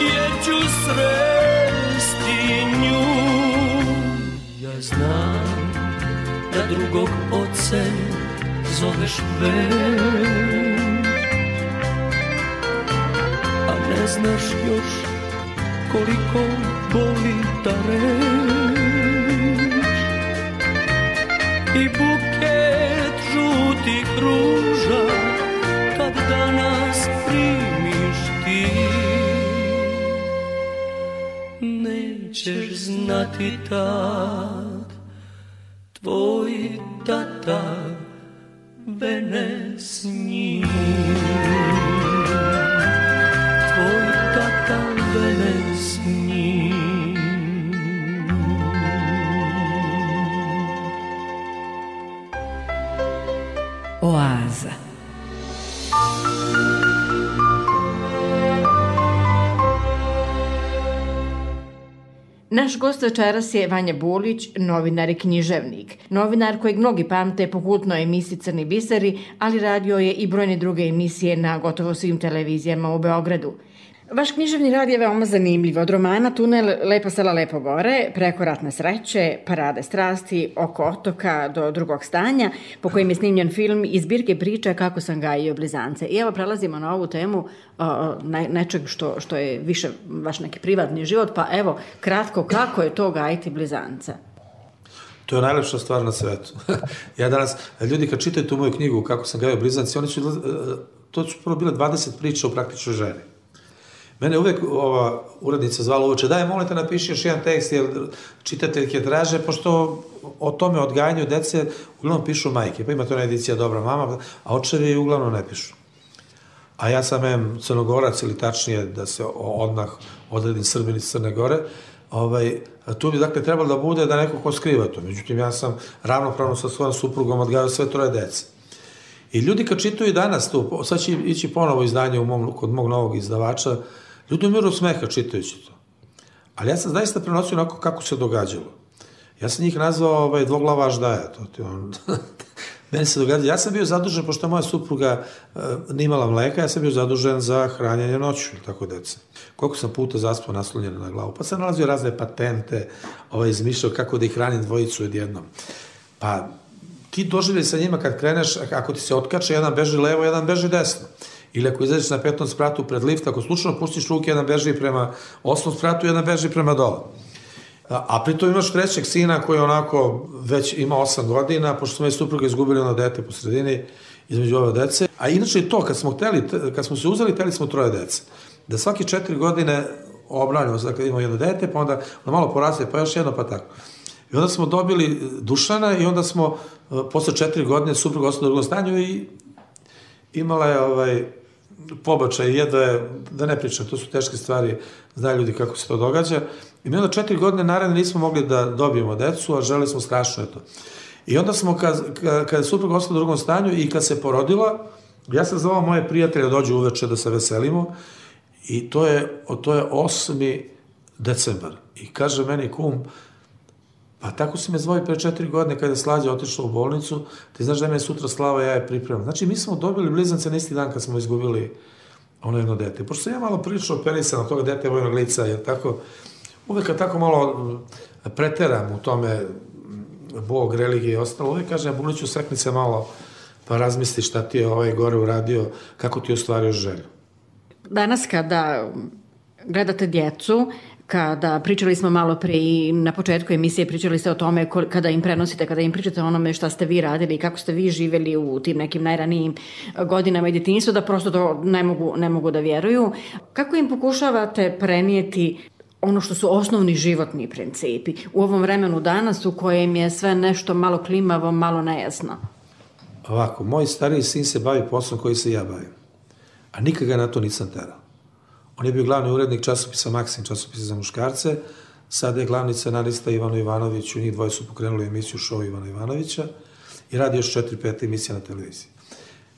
jer ću sresti nju. Ja znam da drugog oce zoveš već, a ne znaš još koliko boli ta reč. I buket žutih ruža kad danas primiš ti, nećeš znati tad tvoj tata vene s njim. Tvoj tata vene s njim. Oaza. Naš gost večeras je Vanja Bulić, novinar i književnik. Novinar kojeg mnogi pamte po kultnoj emisiji Crni biseri, ali radio je i brojne druge emisije na gotovo svim televizijama u Beogradu. Vaš književni rad je veoma zanimljiv. Od romana Tunel, Lepa sela, lepo gore, preko Ratne sreće, Parade strasti, Oko otoka do Drugog stanja, po kojim je snimljen film i zbirke priča Kako sam gajio blizance. I evo prelazimo na ovu temu o, ne, nečeg što, što je više vaš neki privatni život, pa evo, kratko, kako je to gajiti blizance? To je najlepša stvar na svetu. Ja danas, ljudi kad čitaju tu moju knjigu Kako sam gajio blizance, oni su, to su prvo bile dvadeset priča o praktičnoj ženi. Mene uvek ova urednica zvala uveče, daj, molim te napiši još jedan tekst, jer čitateljke traže, pošto o tome odgajanju dece uglavnom pišu majke, pa ima to jedna edicija Dobra mama, a očevi uglavnom ne pišu. A ja sam em Crnogorac, ili tačnije da se odmah odredim Srbin iz Crne Gore, ovaj, tu bi dakle trebalo da bude da neko ko skriva to. Međutim, ja sam ravnopravno sa svojom suprugom odgajao sve troje dece. I ljudi kad čitaju danas tu, sad će ići ponovo izdanje u mom, kod mog novog izdavača, ljudi umiru smeha čitajući to. Ali ja sam zaista prenosio onako kako se događalo. Ja sam njih nazvao ovaj, dvoglava aždaja. To ti on... Meni se događa. Ja sam bio zadužen, pošto moja supruga uh, nimala mleka, ja sam bio zadužen za hranjenje noću, tako deca. Koliko sam puta zaspao naslonjena na glavu. Pa sam nalazio razne patente, ovaj, izmišljao kako da ih hranim dvojicu odjednom. Pa ti doživljaj sa njima kad kreneš, ako ti se otkače, jedan beži levo, jedan beži desno. Ili ako izađeš na petom spratu pred lift, ako slučajno pustiš ruke, jedan beži prema osmom spratu, jedan beži prema dole. A, a pritom imaš trećeg sina koji onako već ima osam godina, pošto smo je supruga izgubili ono dete po sredini između ove dece. A inače to, kad smo, hteli, kad smo se uzeli, hteli smo troje dece. Da svake četiri godine obranjamo, dakle imamo jedno dete, pa onda malo poraste, pa još jedno, pa tako. I onda smo dobili Dušana i onda smo posle četiri godine supruga ostala u drugom stanju i imala je ovaj, pobačaj, jedva je, da ne pričam, to su teške stvari, znaju ljudi kako se to događa. I mi onda četiri godine naravno nismo mogli da dobijemo decu, a želi smo strašno je to. I onda smo, kad, kad je supruga ostala u drugom stanju i kad se porodila, ja sam zvao moje prijatelje da dođu uveče da se veselimo i to je, to je osmi decembar. I kaže meni kum, pa tako si me zvao i pre četiri godine kada je Slađa otišla u bolnicu, ti znaš da me je sutra slava, ja je pripremam. Znači, mi smo dobili blizance na isti dan kad smo izgubili ono jedno dete. Pošto sam ja malo prilično operisan od toga dete vojnog lica, jer tako, uvek kad tako malo preteram u tome Bog, religije i ostalo, uvek kažem, ja Buliću, sekni se malo, pa razmisli šta ti je ovaj gore uradio, kako ti je ostvario želju. Danas kada gledate djecu, kada pričali smo malo pre i na početku emisije pričali ste o tome kada im prenosite, kada im pričate o onome šta ste vi radili i kako ste vi živeli u tim nekim najranijim godinama i djetinjstvu, da prosto to ne mogu, ne mogu da vjeruju. Kako im pokušavate prenijeti ono što su osnovni životni principi u ovom vremenu danas u kojem je sve nešto malo klimavo, malo nejasno? Ovako, moj stariji sin se bavi poslom koji se ja bavim, a nikad ga na to nisam terao. On je bio glavni urednik časopisa Maksim, časopisa za muškarce, sada je glavni scenarista Ivano Ivanović, u njih dvoje su pokrenuli emisiju Show Ivana Ivanovića i radi još četiri pet emisija na televiziji.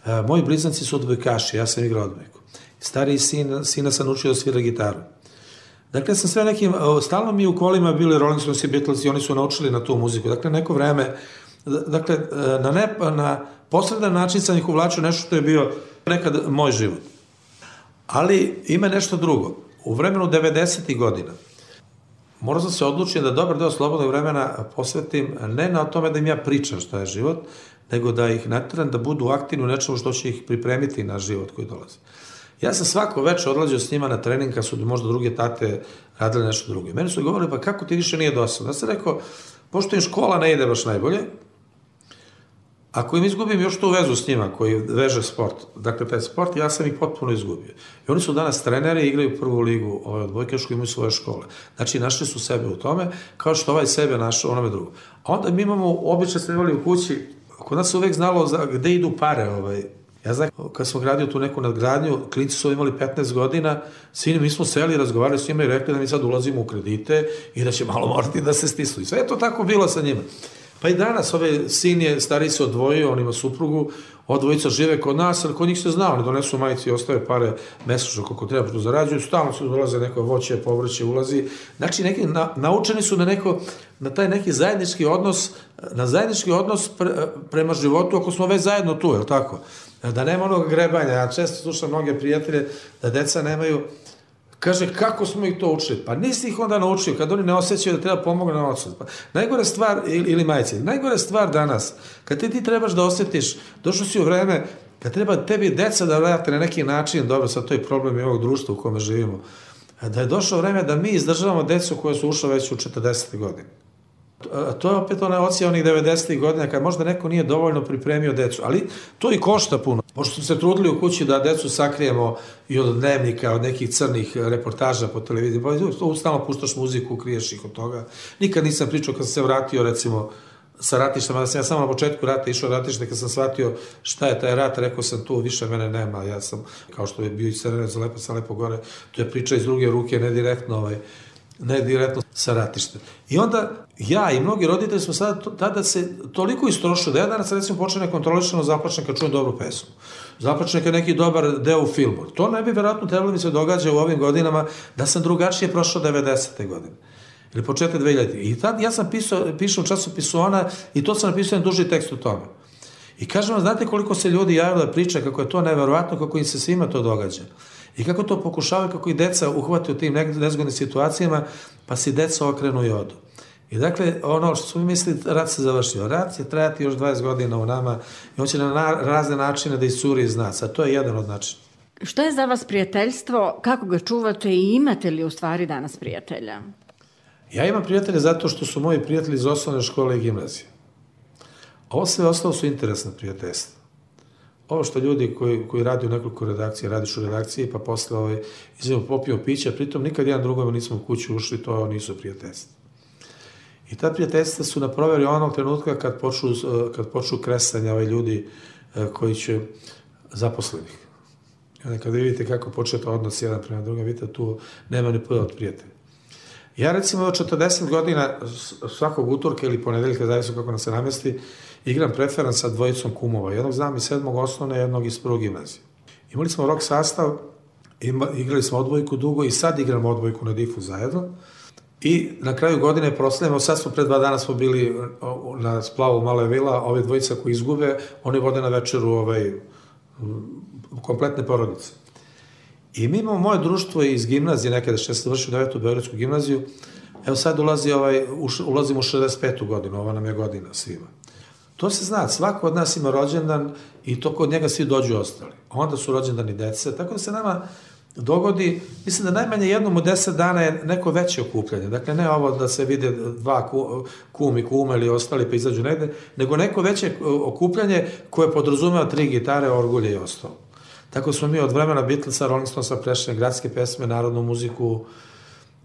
E, moji blizanci su odbojkaši, ja sam igrao odbojku. Stariji sin, sina sam učio da svira gitaru. Dakle, sam sve nekim, stalno mi u kolima bili Rolling Stones i Beatles i oni su naučili na tu muziku. Dakle, neko vreme, dakle, na, ne, na posredan način sam ih uvlačio nešto što je bio nekad moj život. Ali ima nešto drugo. U vremenu devedesetih godina morao sam se odlučiti da dobar deo slobodnog vremena posvetim ne na tome da im ja pričam šta je život, nego da ih natjeram da budu aktivni u nečemu što će ih pripremiti na život koji dolazi. Ja sam svako večer odlazio s njima na trening kad su možda druge tate radile nešto drugo. Meni su govorili, pa kako ti više nije dosadno? Ja sam rekao, pošto im škola ne ide baš najbolje, ako im izgubim još tu vezu s njima koji veže sport, dakle taj sport, ja sam ih potpuno izgubio. I oni su danas treneri, igraju prvu ligu ovaj, odbojkašku, imaju svoje škole. Znači, našli su sebe u tome, kao što ovaj sebe našao onome drugo. A onda mi imamo, obično ste imali u kući, kod nas se uvek znalo za, gde idu pare. Ovaj. Ja znam, kad smo gradio tu neku nadgradnju, klinci su imali petnaest godina, svi mi smo seli, razgovarali s njima i rekli da mi sad ulazimo u kredite i da će malo morati da se stisnu. I sve je to tako bilo sa njima. Pa i danas, ovaj sin je, stariji se odvojio, on ima suprugu, odvojica žive kod nas, ali kod njih se zna, oni donesu majici i ostave pare mesečno koliko treba, što zarađuju, stalno se dolaze neko voće, povrće, ulazi. Znači, neki, na, naučeni su na, neko, na taj neki zajednički odnos, na zajednički odnos pre, prema životu, ako smo već zajedno tu, je li tako? Da nema onog grebanja, ja često slušam mnoge prijatelje da deca nemaju. Kaže, kako smo ih to učili? Pa nisi ih onda naučio, kad oni ne osjećaju da treba pomoći na ocu. Pa, najgore stvar, ili, ili majci, najgore stvar danas, kad ti, ti trebaš da osjetiš, došao si u vreme, kad treba tebi deca da vrate na neki način, dobro, sad to je problem i ovog društva u kome živimo, da je došlo vreme da mi izdržavamo decu koje su ušle već u četrdesetih godine. To je opet ona ocija onih devedesetih godina, kad možda neko nije dovoljno pripremio decu, ali to i košta puno. Pošto smo se trudili u kući da decu sakrijemo i od dnevnika, od nekih crnih reportaža po televiziji, pa stalno puštaš muziku, kriješ ih od toga. Nikad nisam pričao kad sam se vratio, recimo, sa ratištima, da sam ja samo na početku rata išao ratište, kad sam shvatio šta je taj rat, rekao sam tu, više mene nema, ja sam, kao što je bio i Crvenac za lepo, sa lepo gore, to je priča iz druge ruke, ne direktno, ovaj, ne direktno sa ratištem. I onda ja i mnogi roditelji smo sada tada se toliko istrošili da ja danas recimo počne kontrolišano zaplačem kad čujem dobru pesmu. Zaplačem kad neki dobar deo u filmu. To ne bi verovatno trebalo mi se događa u ovim godinama da sam drugačije prošao devedesete godine. Ili početak dve hiljadite. I tad ja sam pisao, pišao u časopisu Ona i to sam napisao jedan duži tekst o tome. I kažem vam, znate koliko se ljudi javilo da priča kako je to neverovatno, kako im se svima to događa. I kako to pokušavaju, kako i deca uhvate u tim nezgodnim situacijama, pa si deca okrenu i odu. I dakle, ono što smo mi mislili, rat se završio. Rat će trajati još dvadeset godina u nama i on će na razne načine da iscuri iz nas, a to je jedan od načina. Što je za vas prijateljstvo, kako ga čuvate i imate li u stvari danas prijatelja? Ja imam prijatelje zato što su moji prijatelji iz osnovne škole i gimnazije. Ovo sve ostalo su interesne prijateljstva. Ovo što ljudi koji, koji radi u nekoliko redakcije, radiš u redakciji, pa posle ovaj, izvijemo popijemo pića, pritom nikad jedan drugom nismo u kuću ušli, to nisu prijateljstva. I ta prijateljstva su na proveri onog trenutka kad počnu, kad počnu kresanja ovaj ljudi koji će zaposlenih. I onda kada vidite kako početa odnos jedan prema drugom, vidite tu nema ni poda od prijatelja. Ja recimo od četrdeset godina svakog utorka ili ponedeljka, zavisno kako nam se namesti, igram preferans sa dvojicom kumova. Jednog znam iz sedmog osnovne, jednog iz prvog gimnazije. Imali smo rock sastav, ima, igrali smo odbojku dugo i sad igramo odbojku na difu zajedno. I na kraju godine proslavimo, sad smo pre dva dana smo bili na splavu Male Vila, ove dvojica koji izgube, oni vode na večeru ovaj, kompletne porodice. I mi imamo moje društvo iz gimnazije, nekada što sam završio devetu Beogradsku gimnaziju, evo sad ulazi ovaj, ulazimo u šezdeset petu godinu, ova nam je godina svima. To se zna, svako od nas ima rođendan i to kod njega svi dođu ostali. Onda su rođendani dece, tako da se nama dogodi, mislim da najmanje jednom u deset dana je neko veće okupljanje. Dakle, ne ovo da se vide dva kum i kuma ili ostali pa izađu negde, nego neko veće okupljanje koje podrazumeva tri gitare, orgulje i ostalo. Tako smo mi od vremena Beatlesa, Rolling Stonesa prešli gradske pesme, narodnu muziku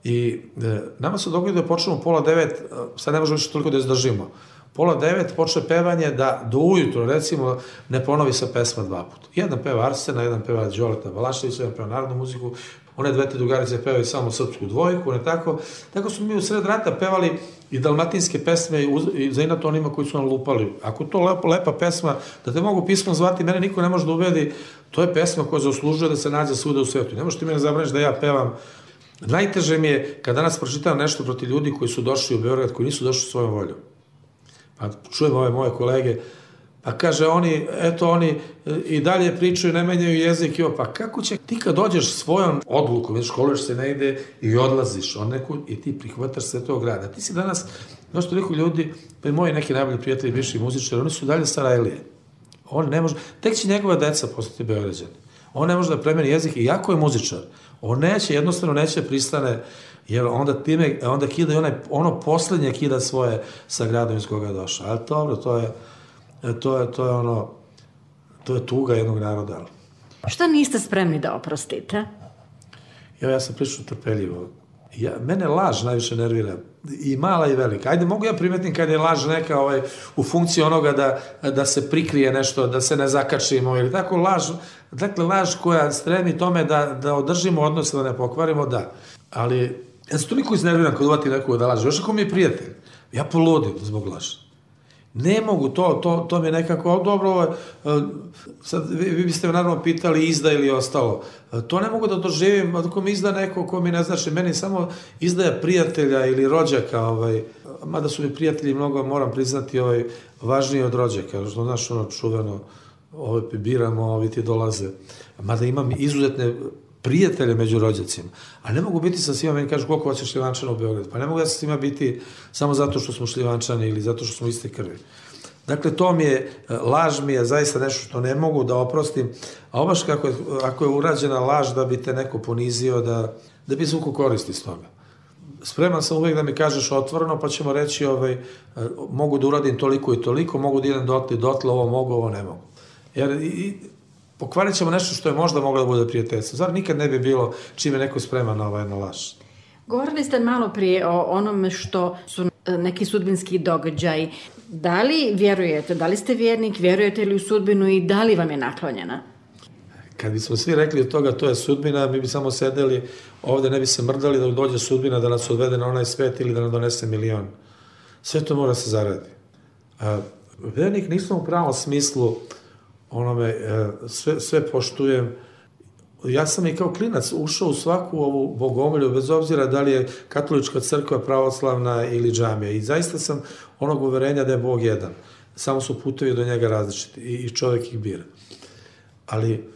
i e, nama se dogodi da počnemo pola devet, sad ne možemo više toliko da izdržimo. pola devet počne pevanje da do ujutro, recimo, ne ponovi sa pesma dva puta. Jedan peva Arsena, jedan peva Đoleta Balaševića, jedan peva narodnu muziku, one dve te drugarice pevaju samo srpsku dvojku, ne tako. Tako smo mi u sred rata pevali i dalmatinske pesme i za inato onima koji su nam lupali. Ako to lepa, lepa pesma, da te mogu pismom zvati, mene niko ne može da ubedi, to je pesma koja zaslužuje da se nađe svuda u svetu. Ne možeš ti mene zabraniš da ja pevam. Najteže mi je kad danas pročitam nešto protiv ljudi koji su došli u Beograd, koji nisu došli svojom voljom. Pa čujem ove moje kolege, pa kaže oni, eto oni i dalje pričaju, ne menjaju jezik, jo, pa kako će, ti kad dođeš svojom odlukom, školuješ se negde i odlaziš od neku i ti prihvataš sve tog grada. Ti si danas, znaš toliko ljudi, pa i moji neki najbolji prijatelji, bivši muzičari, oni su dalje Sarajlije. On ne može, tek će njegova deca postati Beograđani. On ne može da premeni jezik i jako je muzičar. On neće, jednostavno neće pristane, jer onda time, onda kida i onaj, ono poslednje kida svoje sa gradom iz koga je došao. Ali dobro, to je, to je, to je ono, to je tuga jednog naroda. Šta niste spremni da oprostite? Ja, ja sam prilično trpeljivo. Ja, mene laž najviše nervira. I mala i velika. Ajde, mogu ja primetim kad je laž neka ovaj, u funkciji onoga da, da se prikrije nešto, da se ne zakačimo ili tako laž, dakle laž koja stremi tome da, da održimo odnose, da ne pokvarimo, da. Ali ja se toliko iznerviram kad uvati nekoga da laže. Još ako mi je prijatelj, ja poludim zbog laža. Ne mogu, to, to, to mi je nekako, dobro, ovo, sad vi, vi biste me naravno pitali izda ili ostalo. To ne mogu da doživim, ako mi izda neko ko mi ne znači, meni samo izdaja prijatelja ili rođaka, ovaj, mada su mi prijatelji mnogo, moram priznati, ovaj, važniji od rođaka, što znaš ono čuveno, ovaj, biramo, ovi ti dolaze. Mada imam izuzetne prijatelje među rođacima, a ne mogu biti sa svima, meni kažu koliko hoćeš Šljivančana u Beogradu, pa ne mogu ja sa svima biti samo zato što smo Šljivančani ili zato što smo iste krvi. Dakle, to mi je, laž mi je zaista nešto što ne mogu da oprostim, a obaš kako je, ako je urađena laž da bi te neko ponizio, da, da bi zvuku koristi s toga. Spreman sam uvijek da mi kažeš otvoreno, pa ćemo reći, ovaj, mogu da uradim toliko i toliko, mogu da idem dotle i dotle, ovo mogu, ovo ne mogu. Jer i, pokvarit ćemo nešto što je možda moglo da bude prijateljstvo. Zar nikad ne bi bilo čime neko spreman na ovaj laž? Govorili ste malo prije o onome što su neki sudbinski događaj. Da li vjerujete, da li ste vjernik, vjerujete li u sudbinu i da li vam je naklonjena? Kad bismo svi rekli od toga to je sudbina, mi bi samo sedeli ovde, ne bi se mrdali da dođe sudbina da nas odvede na onaj svet ili da nam donese milion. Sve to mora se zaradi. A, vjernik nisam u pravom smislu onome, sve, sve poštujem. Ja sam i kao klinac ušao u svaku ovu bogomolju, bez obzira da li je katolička crkva, pravoslavna ili džamija. I zaista sam onog uverenja da je Bog jedan. Samo su putevi do njega različiti i čovjek ih bira. Ali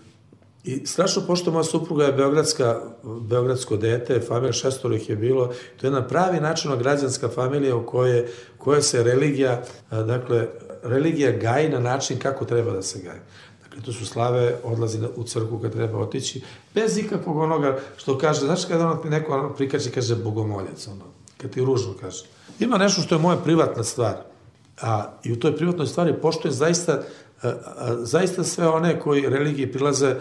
i strašno pošto moja supruga je beogradska, beogradsko dete, familija šestoro ih je bilo, to je jedna pravi načinna građanska familija u kojoj, kojoj se religija, dakle, religija gaji na način kako treba da se gaji. Dakle, to su slave, odlazi u crkvu kad treba otići, bez ikakvog onoga što kaže, znaš kada ono neko ono prikače, kaže bogomoljac, ono, kad ti ružno kaže. Ima nešto što je moja privatna stvar, a i u toj privatnoj stvari poštujem zaista, a, a, zaista sve one koji religiji prilaze,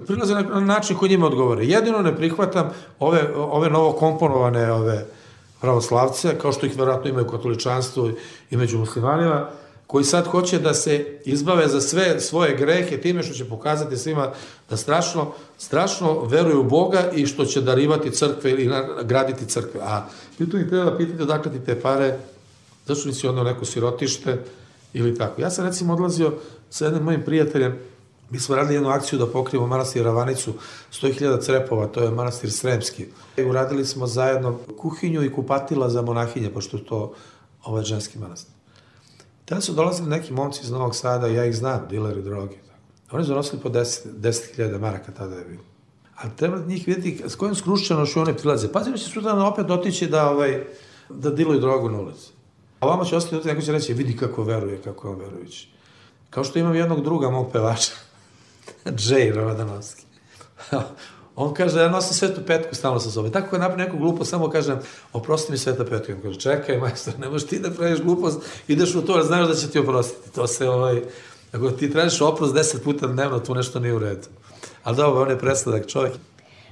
prilaze na način koji njima odgovore. Jedino ne prihvatam ove, ove novokomponovane ove pravoslavce, kao što ih verovatno imaju u katoličanstvu i među muslimanima, koji sad hoće da se izbave za sve svoje grehe time što će pokazati svima da strašno, strašno veruju u Boga i što će darivati crkve ili graditi crkve. A pitanje treba da pitate odakle ti te pare, zašto nisi odneo neko sirotište ili tako. Ja sam recimo odlazio sa jednim mojim prijateljem, mi smo radili jednu akciju da pokrijemo manastir Ravanicu, sto hiljada crepova, to je manastir Sremski. I uradili smo zajedno kuhinju i kupatila za monahinje, pošto je to ovaj ženski manastir. Tada su dolazili neki momci iz Novog Sada, ja ih znam, dileri droge. Oni su donosili po deset hiljada maraka, tada je bilo. Ali treba njih vidjeti s kojom skrušćenošću one prilaze. Pazim će sutra opet otići da, ovaj, da diluju drogu na ulici. A ovamo će ostati, neko će reći, vidi kako veruje, kako je on verujući. Kao što imam jednog druga mog pevača, Džej Ravadanovski. On kaže, ja nosim Svetu Petku stalno sa sobom. Tako kad napravi neku glupost, samo kažem, oprosti mi Sveta Petka. On kaže, čekaj, majstor, ne možeš ti da praviš glupost, ideš u to, jer znaš da će ti oprostiti. To se, ovaj, ako ti tražiš oprost deset puta dnevno, tu nešto nije u redu. Ali dobro, on je presladak čovjek.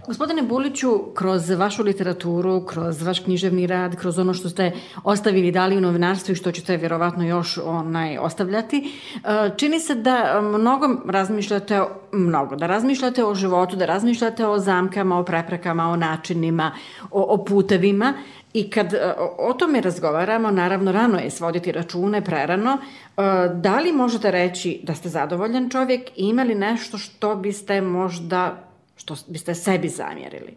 Gospodine Buliću, kroz vašu literaturu, kroz vaš književni rad, kroz ono što ste ostavili i dali u novinarstvu i što ćete vjerovatno još onaj, ostavljati, čini se da mnogo razmišljate, mnogo, da razmišljate o životu, da razmišljate o zamkama, o preprekama, o načinima, o, o putevima. I kad o tome razgovaramo, naravno rano je svoditi račune, prerano, da li možete reći da ste zadovoljan čovjek i imali nešto što biste možda, što biste sebi zamjerili?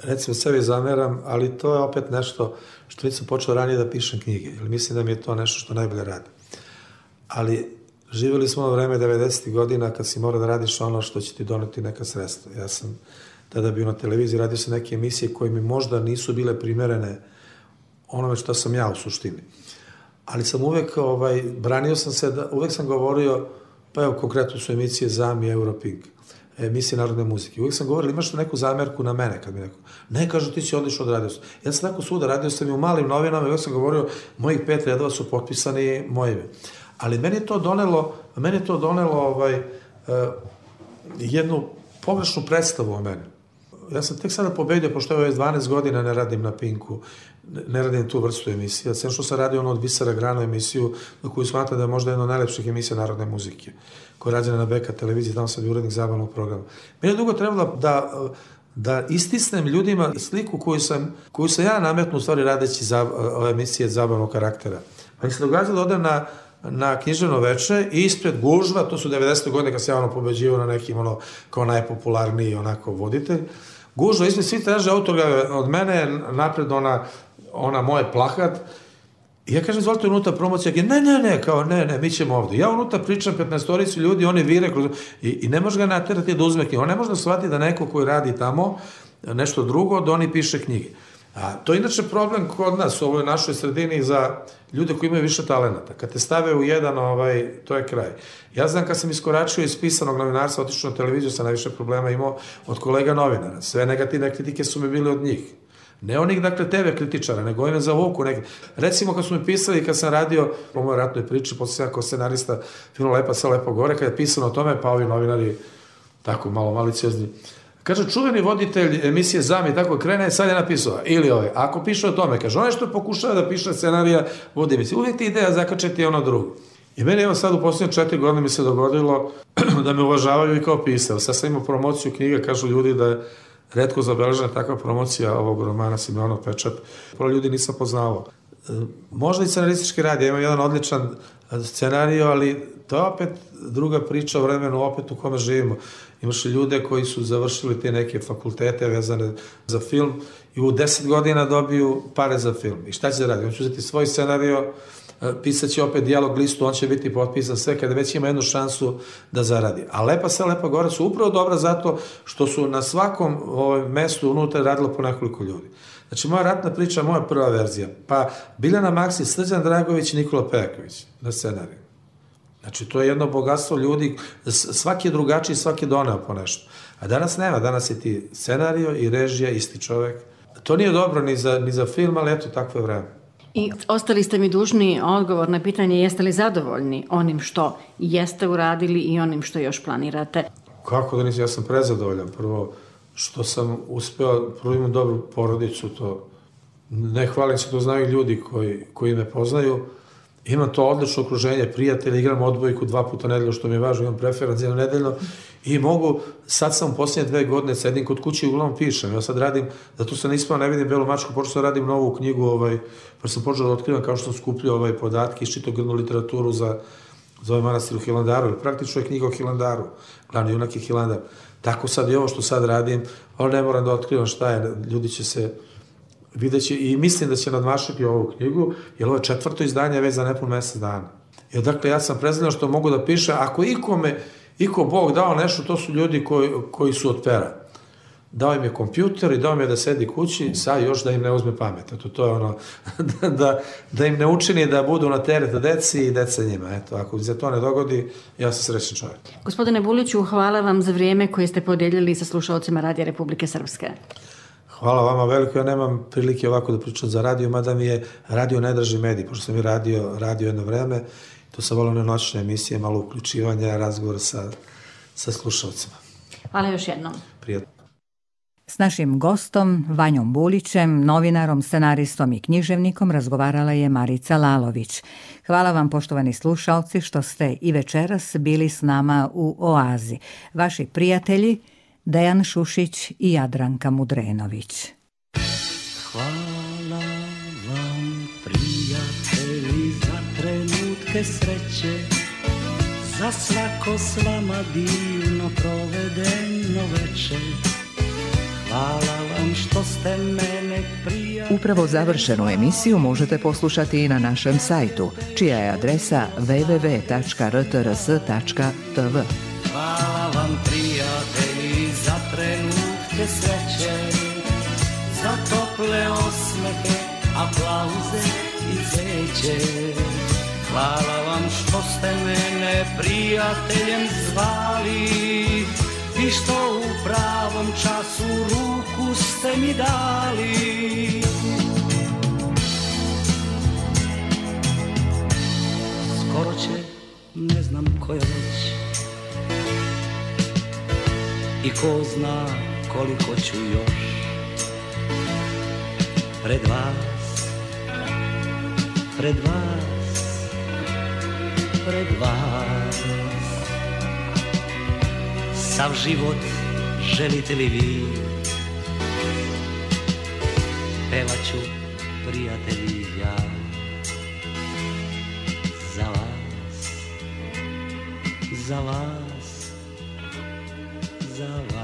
Recimo sebi zamjeram, ali to je opet nešto što nisam počeo ranije da pišem knjige, jer mislim da mi je to nešto što najbolje radi. Ali živjeli smo ono vreme devedesetih godina kad si mora da radiš ono što će ti doneti neka sredstva. Ja sam tada bio na televiziji, radio sam neke emisije koje mi možda nisu bile primerene onome što sam ja u suštini. Ali sam uvek, ovaj, branio sam se, da, uvek sam govorio, pa evo konkretno su emisije Zami, Europink, emisije narodne muzike. Uvijek sam govorio, imaš neku zamerku na mene, kad mi neko, ne, kažu, ti si odlično odradio. Ja sam tako svuda, radio sam i u malim novinama, uvijek sam govorio, mojih pet redova su potpisani mojime. Ali meni je to donelo, meni je to donelo ovaj, uh, jednu pogrešnu predstavu o meni. Ja sam tek sada pobedio, pošto je dvanaest godina ne radim na Pinku, ne radim tu vrstu emisija. Sve što sam radio ono od Visara Grano emisiju, na koju smatram da je možda jedna od najlepših emisija narodne muzike, koja je rađena na B K televiziji, tamo sam bio urednik zabavnog programa. Meni je dugo trebalo da, da istisnem ljudima sliku koju sam, koju sam ja nametnu u stvari radeći za, ove emisije zabavnog karaktera. Pa mi se događalo da odem na na književno veče i ispred gužva, to su devedesete godine kad se ja ono pobeđivao na nekim ono kao najpopularniji onako voditelj, gužva, ispred svi traže autograf od mene, napred ona, ona moje plakat, i ja kažem, izvolite unutra promocija, ne, ne, ne, kao ne, ne, mi ćemo ovdje. Ja unutra pričam petnaestoricu ljudi, oni vire kroz, i, i ne može ga naterati da uzme knjigu, on ne može da shvati da neko koji radi tamo nešto drugo, da oni piše knjige. A to je inače problem kod nas u ovoj našoj sredini za ljude koji imaju više talenata. Kad te stave u jedan, ovaj, to je kraj. Ja znam kad sam iskoračio iz pisanog novinarstva, otišao na televiziju, sam najviše problema imao od kolega novinara. Sve negativne kritike su mi bili od njih. Ne onih, dakle, te ve kritičara, nego ime za vuku neke. Recimo, kad su mi pisali, kad sam radio po mojoj ratnoj priči, posle sam ja kao scenarista filmu Lepa se lepo gore, kad je pisano o tome, pa ovi novinari, tako malo maliciozni, kaže, čuveni voditelj emisije Zami, tako krene, sad je napisao, ili ovaj, ako piše o tome, kaže, ono što pokušava da piše scenarija, vodi emisije, uvijek ti ideja zakačeti ono drugo. I meni evo sad u posljednje četiri godine mi se dogodilo da me uvažavaju i kao pisao. Sad sam imao promociju knjiga, kažu ljudi da je retko zabeležena takva promocija ovog romana Simeonov pečat. Prvo ljudi nisam poznavao. Možda i scenaristički rad, ja imam jedan odličan scenarij, ali to je opet druga priča o vremenu, opet u kome živimo. Imaš ljude koji su završili te neke fakultete vezane za film i u deset godina dobiju pare za film. I šta će da radi? On će uzeti svoj scenario, pisat će opet dijalog listu, on će biti potpisan, sve kada već ima jednu šansu da zaradi. A Lepa se lepa gore su upravo dobra zato što su na svakom ovaj, mestu unutra radilo po nekoliko ljudi. Znači, moja ratna priča, moja prva verzija, pa Biljana Maksi, Srđan Dragović i Nikola Pejaković na scenariju. Znači, to je jedno bogatstvo ljudi, svaki je drugačiji, svaki je doneo po nešto. A danas nema, danas je ti scenario i režija, isti čovek. To nije dobro ni za, ni za film, ali eto, takvo je vreme. I ostali ste mi dužni odgovor na pitanje jeste li zadovoljni onim što jeste uradili i onim što još planirate? Kako da nisam, ja sam prezadovoljan. Prvo, što sam uspeo, prvo imam dobru porodicu, to ne hvalim se, to znaju ljudi koji, koji me poznaju. Imam to odlično okruženje, prijatelje, igram odbojku dva puta nedeljno, što mi je važno, imam preferenc jedno nedeljno i mogu, sad sam u posljednje dve godine, sedim kod kuće i uglavnom pišem. Ja sad radim, zato sam ispao, ne vidim Belu mačku, počeo sam radim novu knjigu, ovaj, pa sam počeo da otkrivam kao što sam skupljao ovaj podatke, iščitao grnu literaturu za, za ovaj manastir u Hilandaru, praktično je knjiga o Hilandaru, glavni junak je Hilandar. Tako sad i ovo što sad radim, ali ne moram da otkrivam šta je, ljudi će se videći i mislim da će nadmašiti ovu knjigu, jer ovo je četvrto izdanje već za nepun mesec dana. I odakle ja sam prezredan što mogu da piše, ako ikome, iko Bog dao nešto, to su ljudi koji, koji su od pera. Dao im je kompjuter i dao im je da sedi kući, sad još da im ne uzme pamet. Eto, to je ono, da, da, da im ne učini da budu na teret deci i deca njima. Eto, ako se to ne dogodi, ja sam srećan čovjek. Gospodine Buliću, hvala vam za vrijeme koje ste podijelili sa slušalcima Radija Republike Srpske. Hvala vama veliko, ja nemam prilike ovako da pričam za radio, mada mi je radio najdraži medij, pošto sam i radio, radio jedno vreme, to sam volio na noćne emisije, malo uključivanja, razgovor sa, sa slušalcima. Hvala još jednom. Prijatno. S našim gostom, Vanjom Bulićem, novinarom, scenaristom i književnikom razgovarala je Marica Lalović. Hvala vam, poštovani slušalci, što ste i večeras bili s nama u Oazi. Vaši prijatelji Dejan Šušić i Jadranka Mudrenović. Hvala vam, prijatelji, za trenutke sreće, za svako s vama divno provedeno večer. Hvala vam što ste mene prijatelji. Upravo završenu emisiju možete poslušati i na našem sajtu, čija je adresa w w w tačka r t r s tačka t v. Hvala vam, prijatelji, za trenutke sreće, za tople osmehe, aplauze i cveće. Hvala vam što ste mene prijateljem zvali i što u pravom času ruku ste mi dali. Skoro će, ne znam koja već, i ko zna koliko ću još pred vas, pred vas, pred vas. Sav život želite li vi, pevat ću, prijatelji, ja za vas, za vas, za vas.